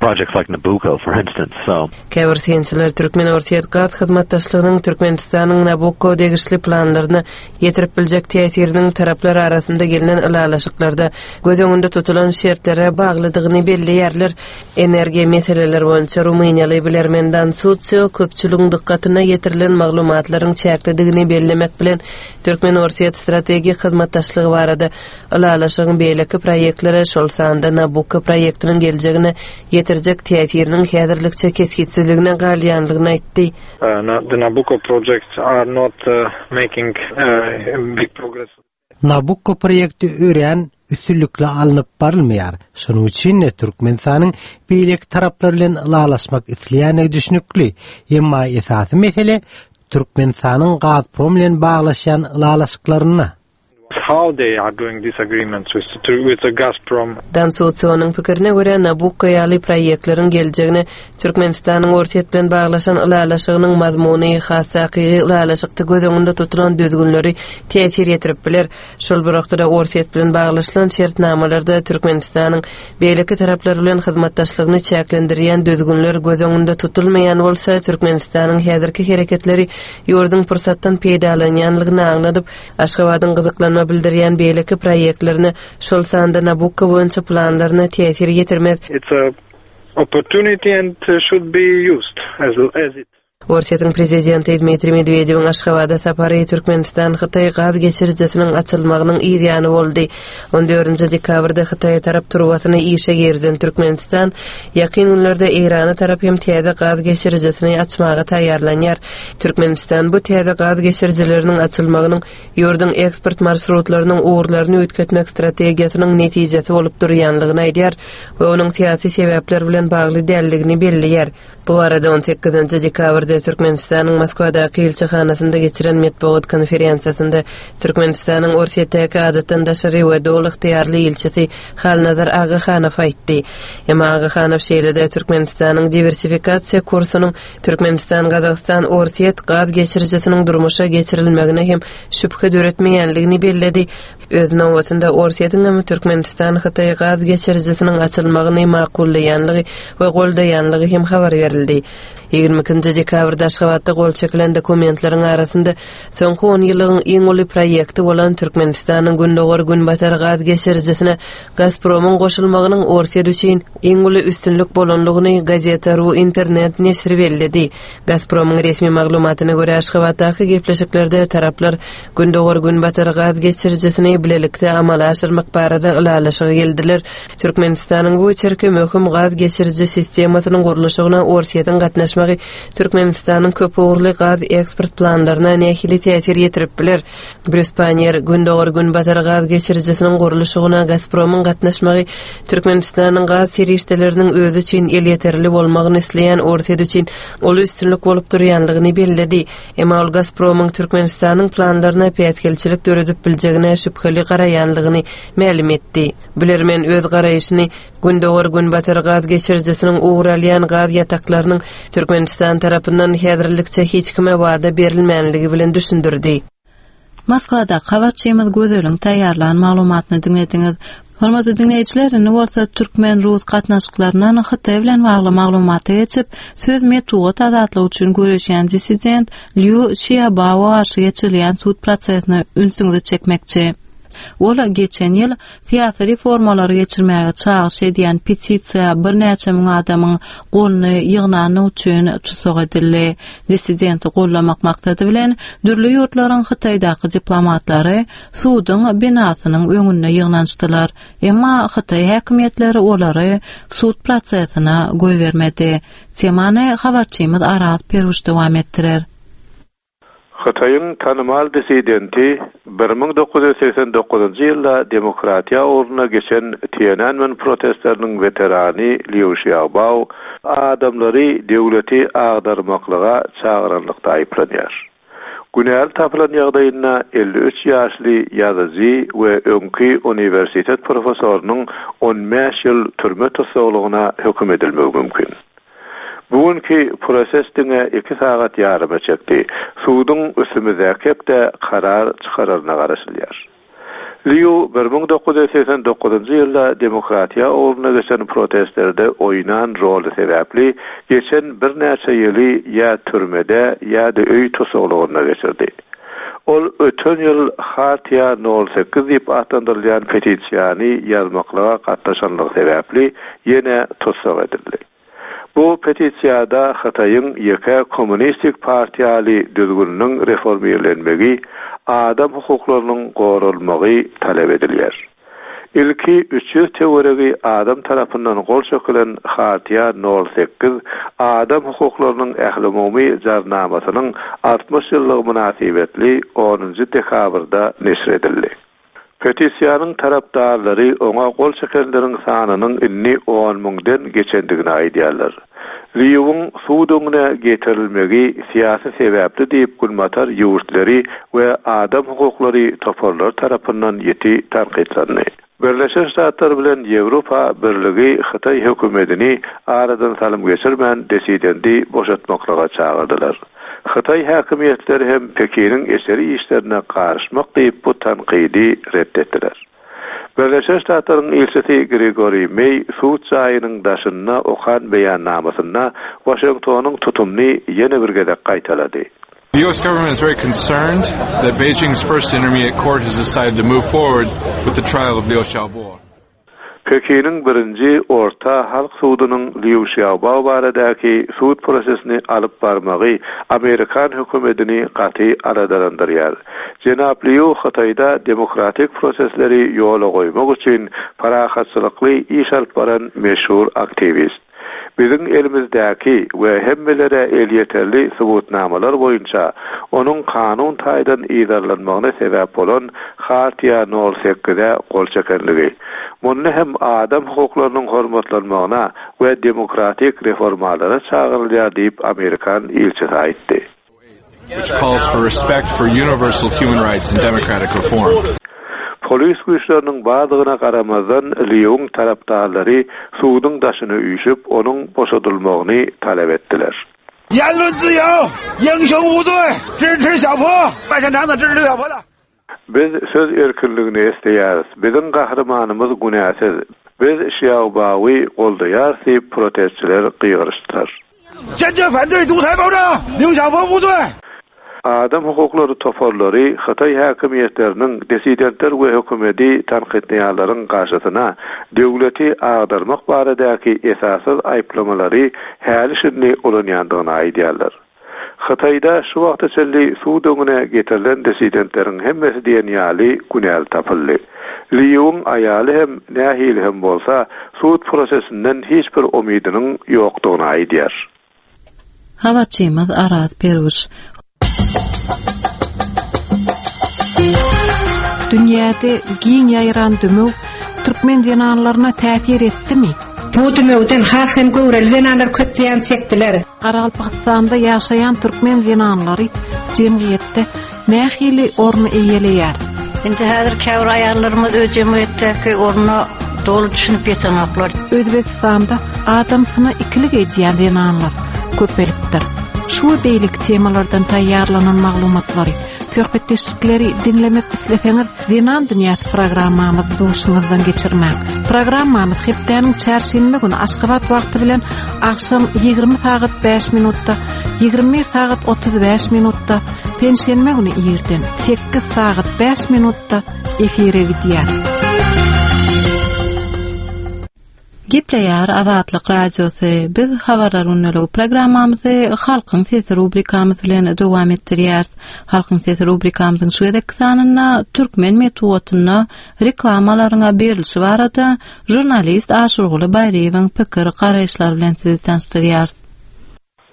projects like Nabucco, for instance. So Käbir synçylar Türkmen-Orsýet gaz hyzmatdaşlygynyň Türkmenistanyň Nabukko degişli planlaryna ýetirip biljek täsiriniň taraplar arasynda gelnen ylalaşyklarda göz öňünde tutulan şertlere baglydygyny belleýärler. Energiýa meseleleri boýunça Rumyniýaly bilermen Dan Sutsio köpçüligiň dykgatyna ýetirilen maglumatlaryň çäklidigini bellemek bilen Türkmen-Orsýet strategik hyzmatdaşlygy barada ylalaşygyň beýleki proýektlere, şol sanda Nabukko proýektiniň geljegine ýetirjek täsiriniň häzirlikçe kesgitsizligine galýanlygyny aýtdy. Uh, the Nabucco projects are not, uh, making, uh, big progress. Nabukko proýekti örän üstünlikli alnyp barylmaýar. Şonuň üçin de Türkmenistanyň beýleki taraplar bilen ylalaşmak isleýändigi düşünikli. Emma esasy mesele Türkmenistanyň Gazprom bilen baglaşýan ylalaşyklaryna. how they are doing these agreements with with the Gazprom. Dan Sutsonyň pikirine görä Nabukko ýaly proýektleriň geljegine Türkmenistanyň Orsýet bilen baglaşan ylalaşygynyň mazmuny has takygy ylalaşykda göz öňünde tutulan düzgünleri täsir ýetirip biler. Şol bir wagtda Orsýet bilen baglaşylan şertnamalarda Türkmenistanyň beýleki taraplar bilen hyzmatdaşlygyny çäklendirýän düzgünler göz öňünde tutulmaýan bolsa, Türkmenistanyň häzirki hereketleri ýurduň pursatdan peýdalanýanlygyny aňladyp, Aşgabadyň gyzyklanma bildirýän beýleki proýektlerine, şol sanda Nabukko boýunça planlaryna täsir ýetirmez. It's a opportunity and should be used as as it. Orsýetiň prezidenti Dmitriý Medwedewiň Aşgabada sapary Türkmenistan Hytaý gaz geçirijisiniň açylmagynyň yz ýany boldy. On dördünji dekabrda Hytaýa tarap turbasyny işe girizen Türkmenistan ýakyn günlerde Eýrana tarap hem täze gaz geçirijisini açmaga taýýarlanýar. Türkmenistan bu täze gaz geçirijileriniň açylmagynyň ýurduň eksport marşrutlarynyň ugurlaryny üýtgetmek strategiýasynyň netijesi bolup durýanlygyny aýdýar we onuň syýasy sebäpler bilen bagly däldigini belleýär. Bu arada on sekizinji dekabrda Türkmenistanyň Moskwadaky ilçihanasynda geçiren metbugat konferensiýasynda Türkmenistanyň Orsýetdäki adatdan daşary we doly ygtyýarly ilçisi Halnazar Agahanow aýtdy. Emma Agahanow şeýle-de Türkmenistanyň diwersifikasiýa kursunyň Türkmenistan Gazagystan Orsýet gaz geçirijisiniň durmuşa geçirilmegine hem şübhe döretmeýänligini belledi. Öz nobatynda Orsýetiň hem Türkmenistan Hytaý gaz geçirijisiniň açylmagyny makullaýanlygy we goldaýanlygy hem habar berildi. Ýigrimi ikinji dekabrda Aşgabatda gol çekilen dokumentleriň arasynda soňky on ýyllygyň iň uly proýekti bolan Türkmenistanyň Gündogar Günbatar gaz geçirijisine Gazpromyň goşulmagynyň Orsýet üçin iň uly üstünlik bolanlygyny Gazeta.ru internet neşiri belledi. Gazpromyň resmi maglumatyna görä Aşgabatdaky gepleşiklerde taraplar Gündogar Günbatar gaz geçirijisini bilelikde amala aşyrmak barada ylalaşyga geldiler. Türkmenistanyň bu içerki möhüm gaz geçiriji sistemasynyň gurluşygyna Orsýetiň gatnaşmagy Türkmenistanyň köp ugurly gaz eksport planlaryna nähili täsir ýetirip biler? Brýus Pannier Gündogar Günbatar gaz geçirijisiniň gurluşygyna Gazpromyň gatnaşmagy Türkmenistanyň gaz serişdeleriniň özi üçin elýeterli bolmagyny isleýän Orsýet üçin uly üstünlik bolup durýanlygyny belledi. Emma ol Gazpromyň Türkmenistanyň planlaryna päsgelçilik döredip biljegine şübheli garaýanlygyny mälim etdi. Bilermen öz garaýşyny Gündogar Günbatar gaz geçirijisiniň ugur alýan gaz ýataklarynyň Türkmenistan tarapyndan häzirlikçe hiç kime wada berilmänligi bilen düşündirdi. Moskwada habarçymyz Gözeliň taýýarlan maglumatyny diňlediňiz. Hormatly diňleýjiler, indi bolsa türkmen-rus gatnaşyklaryndan Hytaý bilen bagly maglumata geçip, söz metbugat azatlygy üçin göreşýän dissident Liu Xiaobaoa garşy geçirilýän sud prosesine ünsüňizi çekmekçi. Ol geçen ýyl syýasy reformalary geçirmäge çagyş edýän petisiýa birnäçe müň adamyň goluny ýygnany üçin tussag edildi. Dissidenti gollamak maksady bilen dürli ýurtlaryň Hytaýdaky diplomatlary suduň binasynyň öňünde ýygnanyşdylar. Emma Hytaý häkimiýetleri olary sud prosesine goýbermedi. Temany habarçymyz Araz Peruş dowam etdirer. Hytaýyň tanymal dissidenti bir müň dokuz ýüz seksen dokuzynjy ýylda demokratiýa ugruna geçen Tiananmen protestleriniň weterany Liu Xiaobao adamlary döwleti agdarmaklyga çagyranlykda aýyplanýar. Günäli tapylan ýagdaýynda elli üç ýaşly ýazyjy we öňki uniwersitet professorynyň on bäş ýyl türme tussaglygyna höküm edilmegi mümkin. Bugünkü proses diňe iki sagat ýaryma çekdi. Suduň üstümizdäki hepde karar çykararyna garaşylýar. Liu bir müň dokuz ýüz seksen dokuzynjy ýylda demokratiýa ugruna geçen protestlerde oýnan roly sebäpli geçen birnäçe ýyly ýa türmede ýa-da öý tussaglygynda geçirdi. Ol öten ýyl Hartiýa nol sekiz diýip atlandyrylýan petisiýany ýazmaklyga gatnaşanlygy sebäpli ýene tussag edildi. Bu petisiýada Hytaýyň ýeke kommunistik partiýaly düzgüniniň reformirlenmegi, adam hukuklarynyň goralmagy talap edilýär. Ilki üç ýüz töweregi adam tarapyndan gol çekilen Hartiýa nol sekiz adam hukuklarynyň ählumumy jarnamasynyň altmyş ýyllygy mynasybetli onunjy dekabrda neşir edildi. Petisiýanyň tarapdarlary oňa gol çekenleriň sanynyň indi on müňden geçendigini aýdýarlar. Liýuwyň sud öňüne getirilmegi syýasy sebäpli diýip Günbatar ýurtlary we adam hukuklary toparlary tarapyndan ýiti tankytlandy. Birleşen Ştatlar bilen Ýewropa Birligi Hytaý hökümetini aradan salym geçirmän disidendi boşatmaklyga çagyrdylar. Hytaý häkimiýetleri hem Pekiniň eseri işlerine garyşmak diýip bu tankydy ret etdiler. Birleşen Ştatlaryň ilçisi Grigoriý Meý sud jaýynyň daşynda okan beýannamasynda Waşingtonyň tutumyny ýene bir gezek gaýtalady. The U S government is very concerned that Beijing's first intermediate court has decided to move forward with the trial of Liu Xiaobo. Pekiniň birinji orta halk sudunyň Liu Xiaobo baradaky sud prosesini alyp barmagy Amerikan hökümetini gaty aladalandyrýar. Jenap Liu Hytaýda demokratik prosesleri ýola goýmak üçin parahatçylykly iş alyp baran meşhur aktiwist. Biziň elimizdäki we hemmelere elýeterli subutnamalar boýunça onuň kanun taýdan yzarlanmagyna sebäp bolan Hartiýa nol sekize gol çekenligi. Munda hem adam hukuklarynyň hormatlanmagyna we demokratik reformalara çagyrylýar diýip Amerikan ilçisi aýtdy. Which calls for respect for universal human rights and democratic reform. Polis güýçleriniň bardygyna garamazdan Liuň tarapdarlary suduň daşyna üýşüp, onuň boşadylmagyny talap etdiler. 言论自由，英雄无罪，支持小坡，麦县长子支持刘晓波的。 Biz söz erkinligini isleýäris. Biziň gahrymanymyz günäsiz. Biz Xiaobaowy goldaýarys diýip protestçiler gygyryşdylar. 坚决反对独裁暴政，刘晓波无罪。 Adam hukuklary toparlary Hytaý häkimiýetleriniň disidentler we hökümeti tankytlaýanlaryň garşysyna döwleti agdarmak baradaky esassyz aýyplamalary häli şindi ulanýandygyny aýdýarlar. Hytaýda şu wagta çenli sud öňüne getirilen disidentleriň hemmesi diýen ýaly günäli tapyldy. Liuň aýaly hem nähili hem bolsa sud prosesinden hiç bir umydynyň ýokdugyny aýdýar. Habarçymyz Araz Peruş. Dünýäde giň ýaýran dümew türkmen zenanlaryna täsir etdimi? Bu dümewden has hem göwreli zenanlar köp zyýan çekdiler. Garagalpagystanda ýaşaýan türkmen zenanlary jemgyýetde nähili orun eýeleýär? Indi häzir käbir aýallarymyz öz jemgyýetdäki ornuna doly düşünip ýetenoklar. Özbekistanda adamsyna ikilik edýän zenanlar köpelipdir. Şu we beýleki temalardan taýýarlanan maglumatlary, söhbetdeşlikleri diňlemek isleseňiz, Zenan Dünýäsi programmamyzy duşuňyzdan geçirmäň. Programmamyz hepdäniň çarşenbe güni Aşgabat wagty bilen agşam ýigrimi sagat bäş minutda, ýigrimi bir sagat otuz bäş minutda, penşenbe güni irden sekiz sagat bäş minutda efire gidýär. Gepleýär Azatlyk Radiosy. Biz habarlar günlügi programmamyzy Halkyň Sesi rubrikamyz bilen dowam etdirýäris. Halkyň Sesi rubrikamyzyň şu gezekki sanynda türkmen metbugatynda reklamalaryň berilişi barada žurnalist Aşurguly Baýryýewiň pikir garaýyşlary bilen sizi tanyşdyrýarys.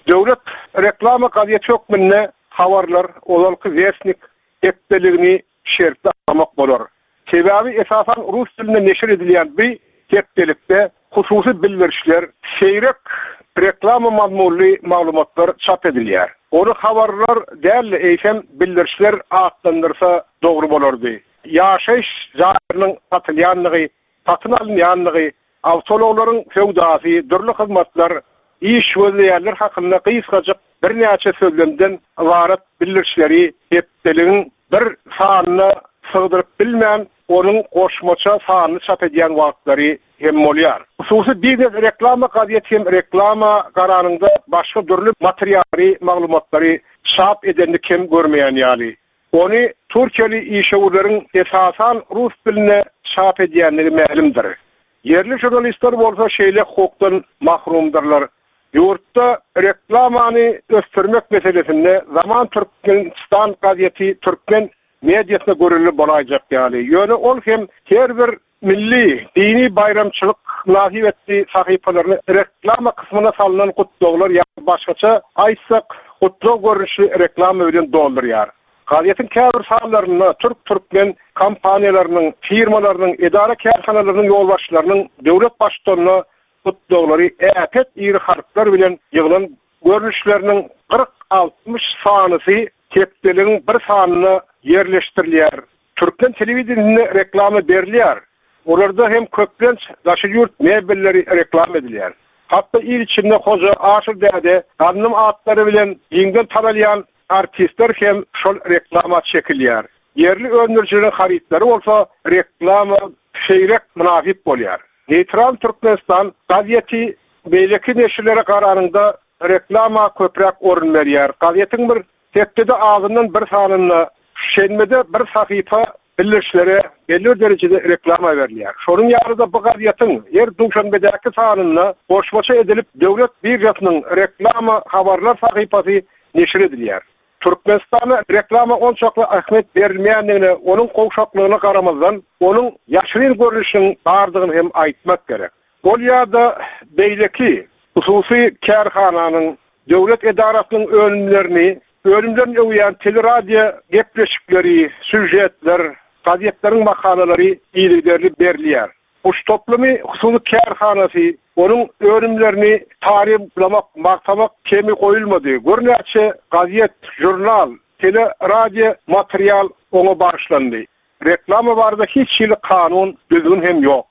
Döwlet reklama gazeti hökmünde habarlar ozalky Westnik hepdeligini şertli almak bolar. Sebäbi esasan rus dilinde neşir edilýän bir hepdelikde hususy bildirişler, seýrek reklama mazmunly maglumatlar çap edilýär. Ony habarlar däl, eýsem bildirişler atlandyrsa dogry bolardy. Ýaşaýyş jaýlarynyň satylýanlygy, satyn alynýanlygy, awtoulaglaryň söwdasy, dürli hyzmatlar, iş gözleýänler hakynda gysgajyk birnäçe sözlemden ybarat bildirişleri hepdeligiň bir sanyna sygdyryp bilmän, onuň goşmaça sanyny çap edýän wagtlary hem bolýar. Hususy biznes reklama gazeti hem reklama garanynda başga dürli materiallary, maglumatlary çap edenini kem görmeýän ýaly. Ony Türkiýeli işewürleriň esasan rus diline çap edýänligi mälimdir. Ýerli žurnalistler bolsa şeýle hukukdan mahrumdyrlar. Ýurtda reklamany ösdürmek meselesinde Zaman Türkmenistan gazeti türkmen mediasyna görülip bolaýjak ýaly. Ýöne ol hem her bir milli dini baýramçylyk mynasybetli sahypalaryny reklama kysmyna salynan gutlaglar ýa başgaça aýtsak gutlag görnüşli reklama bilen doldurýar. Gazetiň käbir sanlarynda türk-türkmen kompaniýalarynyň, firmalarynyň, edara kärhanalarynyň ýolbaşçylarynyň döwlet baştutanyna gutlaglary äpet iri harplar bilen ýygylan görnüşleriniň kyrk altmyş sanysy hepdeligiň bir sanyna ýerleşdirilýär. Türkmen telewideniýesinde reklama berilýär. Olarda hem köplenç daşary ýurt mebelleri reklama edilýär. Hatda il içinde Hoja, Aşyr däde, Gandym atlary bilen giňden tanalýan artistler hem şol reklama çekilýär. Ýerli öndürijileriň harytlary bolsa reklama seýrek mynasyp bolýar. Neýtral Türkmenistan gazeti beýleki neşirlere garanyňda reklama köpräk orun berýär. Gazetiň bir hepdede azyndan bir sanynda şenbede bir sahypa bildirişlere belli bir derejede reklama berilýär. Şonuň ýaly-da bu gazetiň her duşenbedäki sanynda goşmaça edilip döwlet birjasynyň reklama habarlar sahypasy neşir edilýär. Türkmenistanda reklama onçakly ähmiýet berilmeýändigine, onuň gowşaklygyna garamazdan, onuň ýaşyryn görnüşiniň bardygyny hem aýtmak gerek. Ol ýa-da beýleki hususy kärhananyň, döwlet edarasynyň önümlerini, önümlerini öwýän teleradio gepleşikleri, sýužetler, gazetleriň makalalary yzygiderli berilýär. Guş toplumy hususy kärhanasy onuň önümlerini taryplamak, magtamak kemi goýulmady. Görnäçe gazet, jurnal, teleradio material oňa bagyşlandy. Reklama barada hiç hili kanun, düzgün hem ýok.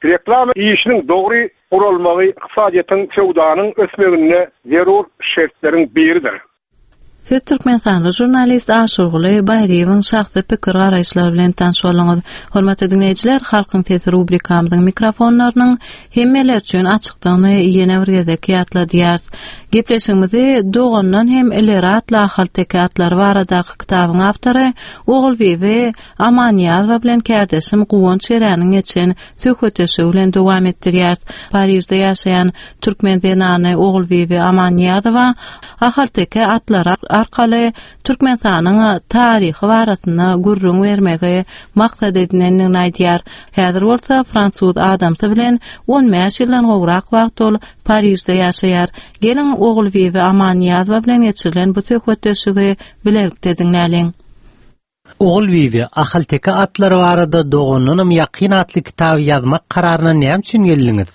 Reklama işiniň dogry guralmagy ykdysadyýetiň, söwdanyň ösmeginde zerur şertleriň biridir. Siz Türkmenistanly žurnalist Aşyrguly Baýryýewiň şahsy pikir garaýyşlary bilen tanyş bolduňyz. Hormatly diňleýjiler, Halkyň sesi rubrikamyzyň mikrofonlarynyň hemmeler üçin açykdygyny ýene bir gezek ýatladýarys. Gepleşigimizi Dogandan hem ileri atly ahalteke atlary baradaky kitabyň awtory Ogulbibi Amanýazowa bilen kärdeşim Guwanç Eräniň geçen söhbetdeşligi bilen dowam etdirýäris. Parižde ýaşaýan türkmen zenany Ogulbibi Amanýazowa ahalteke atlary arkaly Türkmenistanyň taryhy barasynda gürrüň bermegi maksat edinendigini aýdýar. Häzir bolsa fransuz adamsy bilen on bäş ýyldan gowrak wagt ol Parižde ýaşaýar. Geliň Ogulbibi Amanýazowa bilen geçirilen bu söhbetdeşligi bilelikde diňläliň. Ogulbibi, ahalteke atlary barada dogandanam ýakyn atly kitaby ýazmak kararyna näme üçin geldiňiz?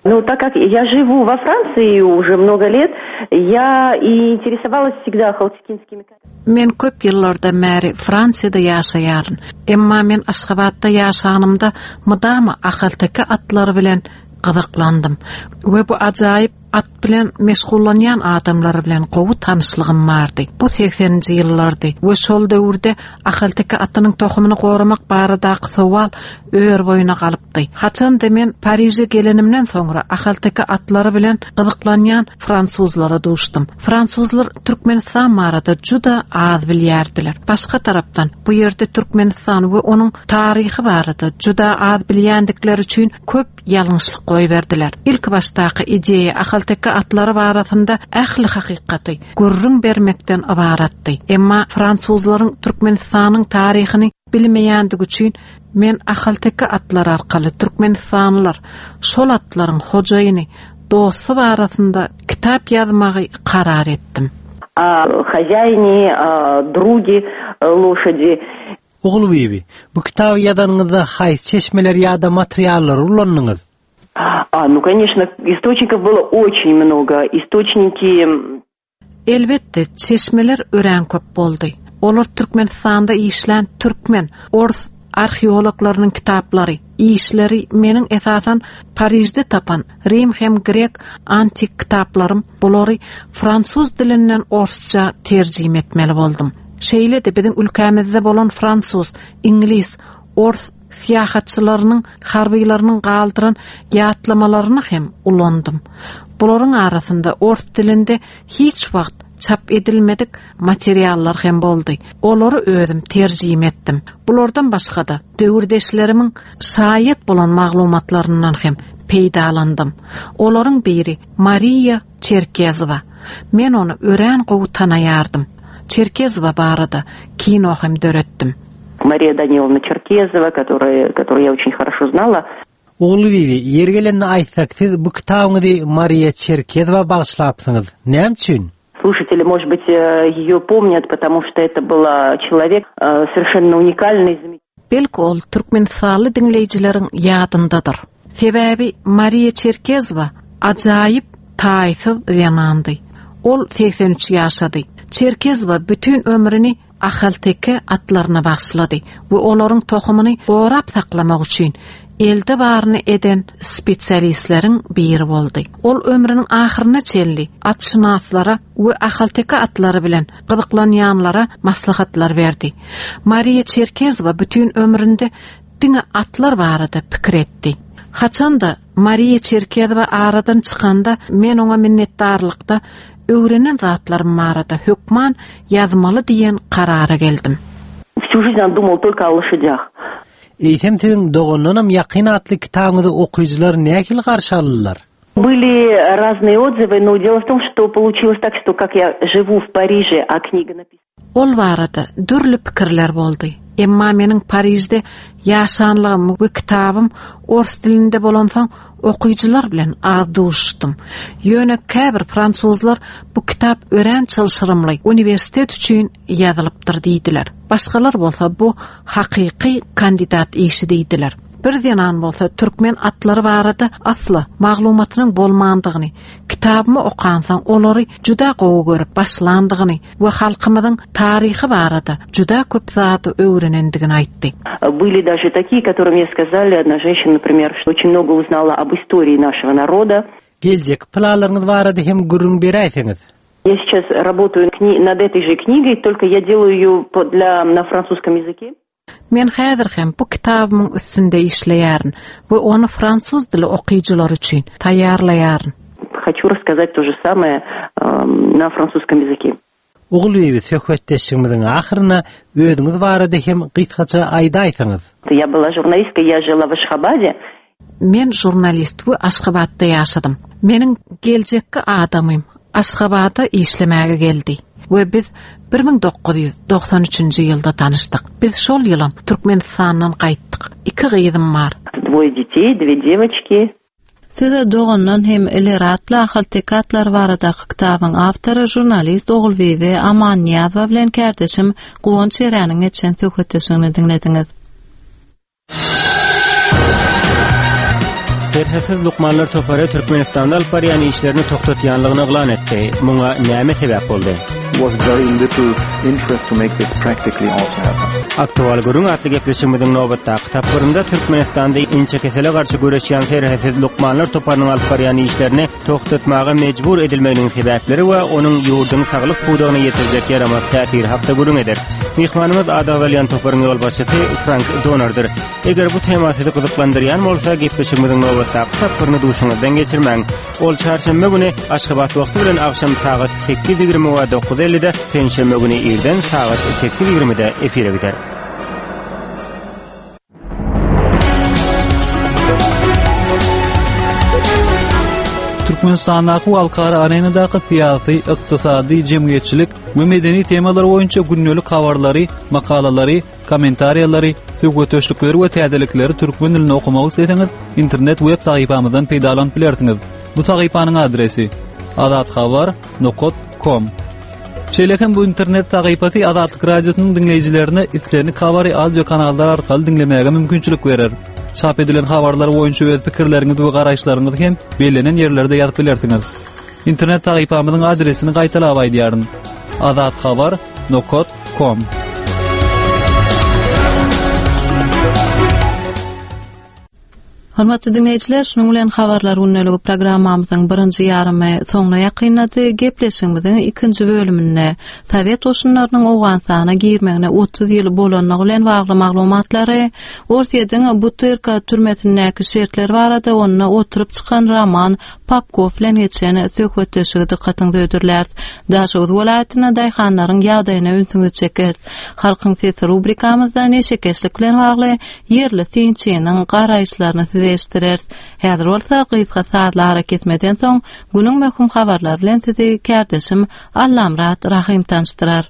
Ну, так как я живу во Франции уже много лет, я и интересовалась всегда ахалтекинскими Men köp ýyllardan bäri Fransiýada ýaşaýaryn. Emma men Aşgabatda ýaşanymda mydama ahalteke atlary bilen gyzyklandym we bu ajaýyp at bilen meşgullanýan adamlar bilen gowy tanyşlygym bardy. Bu segseninji ýyllardy we şol döwürde ahalteke atynyň tohumyny goramak baradaky sowal ör boýuna galypdy. Haçanda men Pariže gelenimden soňra ahalteke atlary bilen gyzyklanýan fransuzlara duşdum. Fransuzlar Türkmenistan barada juda az bilýärdiler. Başga tarapdan bu ýerde Türkmenistan we onuň taryhy barada juda az bilýändikleri üçin köp ýalňyşlyk goýberdiler. Ilk başdaky ideýa ahalteke atlary barasynda ähli hakykaty gürrüň bermekden ybaratdy. Emma fransuzlaryň Türkmenistanyň taryhyny bilmeýändigi üçin men ahalteke atlary arkaly Türkmenistanlylar şol atlaryň hojaýyny dosty barasynda kitap ýazmagy karar etdim. A хозяине, a други лошади. Ogulbibi, bu kitaby ýazanyňyzda haýsy çeşmeler ýa-da materiallary ulandyňyz? А, ну, конечно, источников было очень много. Источники Elbetde, çeşmeler örän köp boldy. Olar Türkmenistanda işlän türkmen, ors arheologlarynyň kitaplary, işleri meniň esasan Parižde tapan Rim hem grek antik kitaplarym, bulary fransuz dilinden orsça terjime etmeli boldum. Şeýle-de biziň ülkämizde bolan fransuz, iňlis, ors syýahatçylarynyň, harbylarynyň galdyran ýatlamalaryny hem ulandym. Bularyň arasynda ors dilinde hiç wagt çap edilmedik materiallar hem boldy. Olary özüm terjime etdim. Bulardan başga-da döwürdeşlerimiň şaýat bolan maglumatlaryndan hem peýdalandym. Olaryň biri Mariya Çerkezowa. Men ony örän gowy tanaýardym. Çerkezowa barada kino hem döretdim. Мария Даниловна Черкезова, которая, которую я очень хорошо знала. Ogulbibi, ýeri gelende aýtsak, siz bu kitabyňyzy Mariya Çerkezowa bagyşlapsyňyz. Näme üçin? Слушатели, может быть, ее помнят, потому что это была человек совершенно уникальный. Belki ol Türkmenistanly diňleýjileriň ýadyndadyr. Sebäbi Mariya Çerkezowa Ajaýyp taýsyz zenandy. Ol segsen üç ýaşady. Çerkezowa bütin ömrüni ahalteke atlaryna bagyşlady we olaryň tohumyny gorap saklamak üçin elde baryny eden spesialistleriň biri boldy. Ol ömrüniň ahyryna çenli atşynaslara we ahalteke atlary bilen gyzyklanýanlara maslahatlar berdi. Mariýa Çerkezowa bütin ömründe diňe atlar barada pikir etdi. Haçanda Mariýa Çerkezowa aradan çykanda men oňa minnetdarlykda öwrenen zatlarym barada hökman ýazmaly diýen karara geldim. Всю жизнь он думал только о лошадях. Eýsem siziň Dogandanam ýakyn atly kitabyňyzy okyjylar nähili garşy aldylar? Были разные отзывы, но дело в том, что получилось так, что как я живу в Париже, а книга написана Ol barada dürli pikirler boldy. Emma meniň Parižde ýaşanlygym we kitabym ors dilinde bolansoň okyjylar bilen az duşdum. Ýöne käbir fransuzlar bu kitap örän çylşyrymly uniwersitet üçin ýazylypdyr diýdiler. Başgalar bolsa bu hakyky kandidat işi diýdiler. Bir zenan bolsa türkmen atlary barada asla maglumatynyň bolmandygyny, kitabymy okansoň olary juda gowy görüp başlandygyny we halkymyzyň taryhy barada juda köp zady öwrenendigini aýtdy. Были даже такие, которые мне сказали, одна женщина, например, что очень много узнала об истории нашего народа. Geljek planlaryňyz barada hem gürrüň beräýseňiz. Я сейчас работаю над этой же книгой, только я делаю ее для, на французском языке. Men häzir hem bu kitabymyň üstünde işleýärin we ony fransuz dili okyjylar üçin taýýarlaýaryn. Хочу рассказать то же самое э, на французском языке. Ogulbibi söhbetdeşligimiziň ahyryna özüňiz barada hem gysgaça aýdaýsaňyz. Я была журналисткой, я жила в Ашхабаде. Men žurnalist we Aşgabatda ýaşadym. Meniň geljekki adamym Aşgabada işlemäge geldi we biz bir müň dokuz ýüz doksan üçünji ýylda tanyşdyk. Biz şol ýylam Türkmenistandan gaýtdyk. Iki gyzym bar. Двое детей, две девочки. Size dogandan hem ileri atly ahalteke atlar baradaky kitabyň awtory žurnalist Ogulbibi Amannyýazowa bilen kärdeşim Guwanç Eräniň geçen söhbetdeşligini diňlediňiz. Serhetsiz lukmanlar topary Türkmenistanda alyp barýan işlerini togtatýanlygyny yglan etdi. Muňa näme sebäp boldy? Was very little interest to make this practically also happen. Aktual gürrüň atly gepleşigimiziň nobatdaky tapgyrynda Türkmenistanda inçekesele garşy göreşýän serhetsiz lukmanlar toparynyň alyp barýan işlerini togtatmaga mejbur edilmeginiň sebäpleri we onuň ýurduň saglyk pudagyna ýetirjek ýaramaz täsiri hakda gürrüň eder. Myhmanymyz ady agzalýan toparyň ýolbaşçysy Frank Donordyr. Eger bu tema sizi gyzyklandyrýan bolsa, gepleşigimiziň nobatdaky tapgyryny duşuňyzdan geçirmäň. Ol çarşenbe güni Aşgabat wagty bilen agşam sagat sekiz ýigrimi we dokuz ellide, penşenbe güni irden sagat sekiz ýigrimide efire gider. Türkmenistandaky halkara arenadaky syýasy, ykdysady, jemgyýetçilik we medeni temalar boýunça gündelik habarlary, makalalary, kommentariýalary, söhbetdeşlikleri we täzelikleri türkmen dilinde okumak isleseňiz, internet web sahypamyzdan peýdalanyp bilersiňiz. Bu sahypanyň adresi azathabar nokta com. Şeýle hem bu internet sahypasy Azatlyk Radiosynyň diňleýjilerine islendik habary audio kanallar arkaly diňlemäge mümkinçilik berer. Çap edilen habarlar boýunça öz pikirleriňizi we garaýyşlaryňyzy hem bellenen ýerlerde ýazyp bilersiňiz. Internet sahypamyzyň adresini gaýtalap aýdýaryn. azathabar nokta com. Hormatly dinleýjiler, şunuň bilen habarlar gündeligi programmamyzyň birinji ýarymy soňuna ýakynlady. Gepleşigimiziň ikinji bölüminde Sowet goşunlarynyň Owganystana girmegine otuz ýyl bolanlygy bilen bagly maglumatlary, Orsýetiň Butyrka türmesindäki şertler barada onda oturyp çykan Roman Popkow bilen geçen söhbetdeşligi dykgatyňyza hödürläris. Daşoguz welaýatynda daýhanlaryň ýagdaýyna ünsüňizi çekeris. Halkyň sesi rubrikamyzda neşekeşlik bilen bagly ýerli synçynyň garaýyşlaryny size eşitdireris. Häzir bolsa gysga sazly ara kesmeden soň günüň möhüm habarlary bilen sizi kärdeşim Allamrat Rahim tanyşdyrar.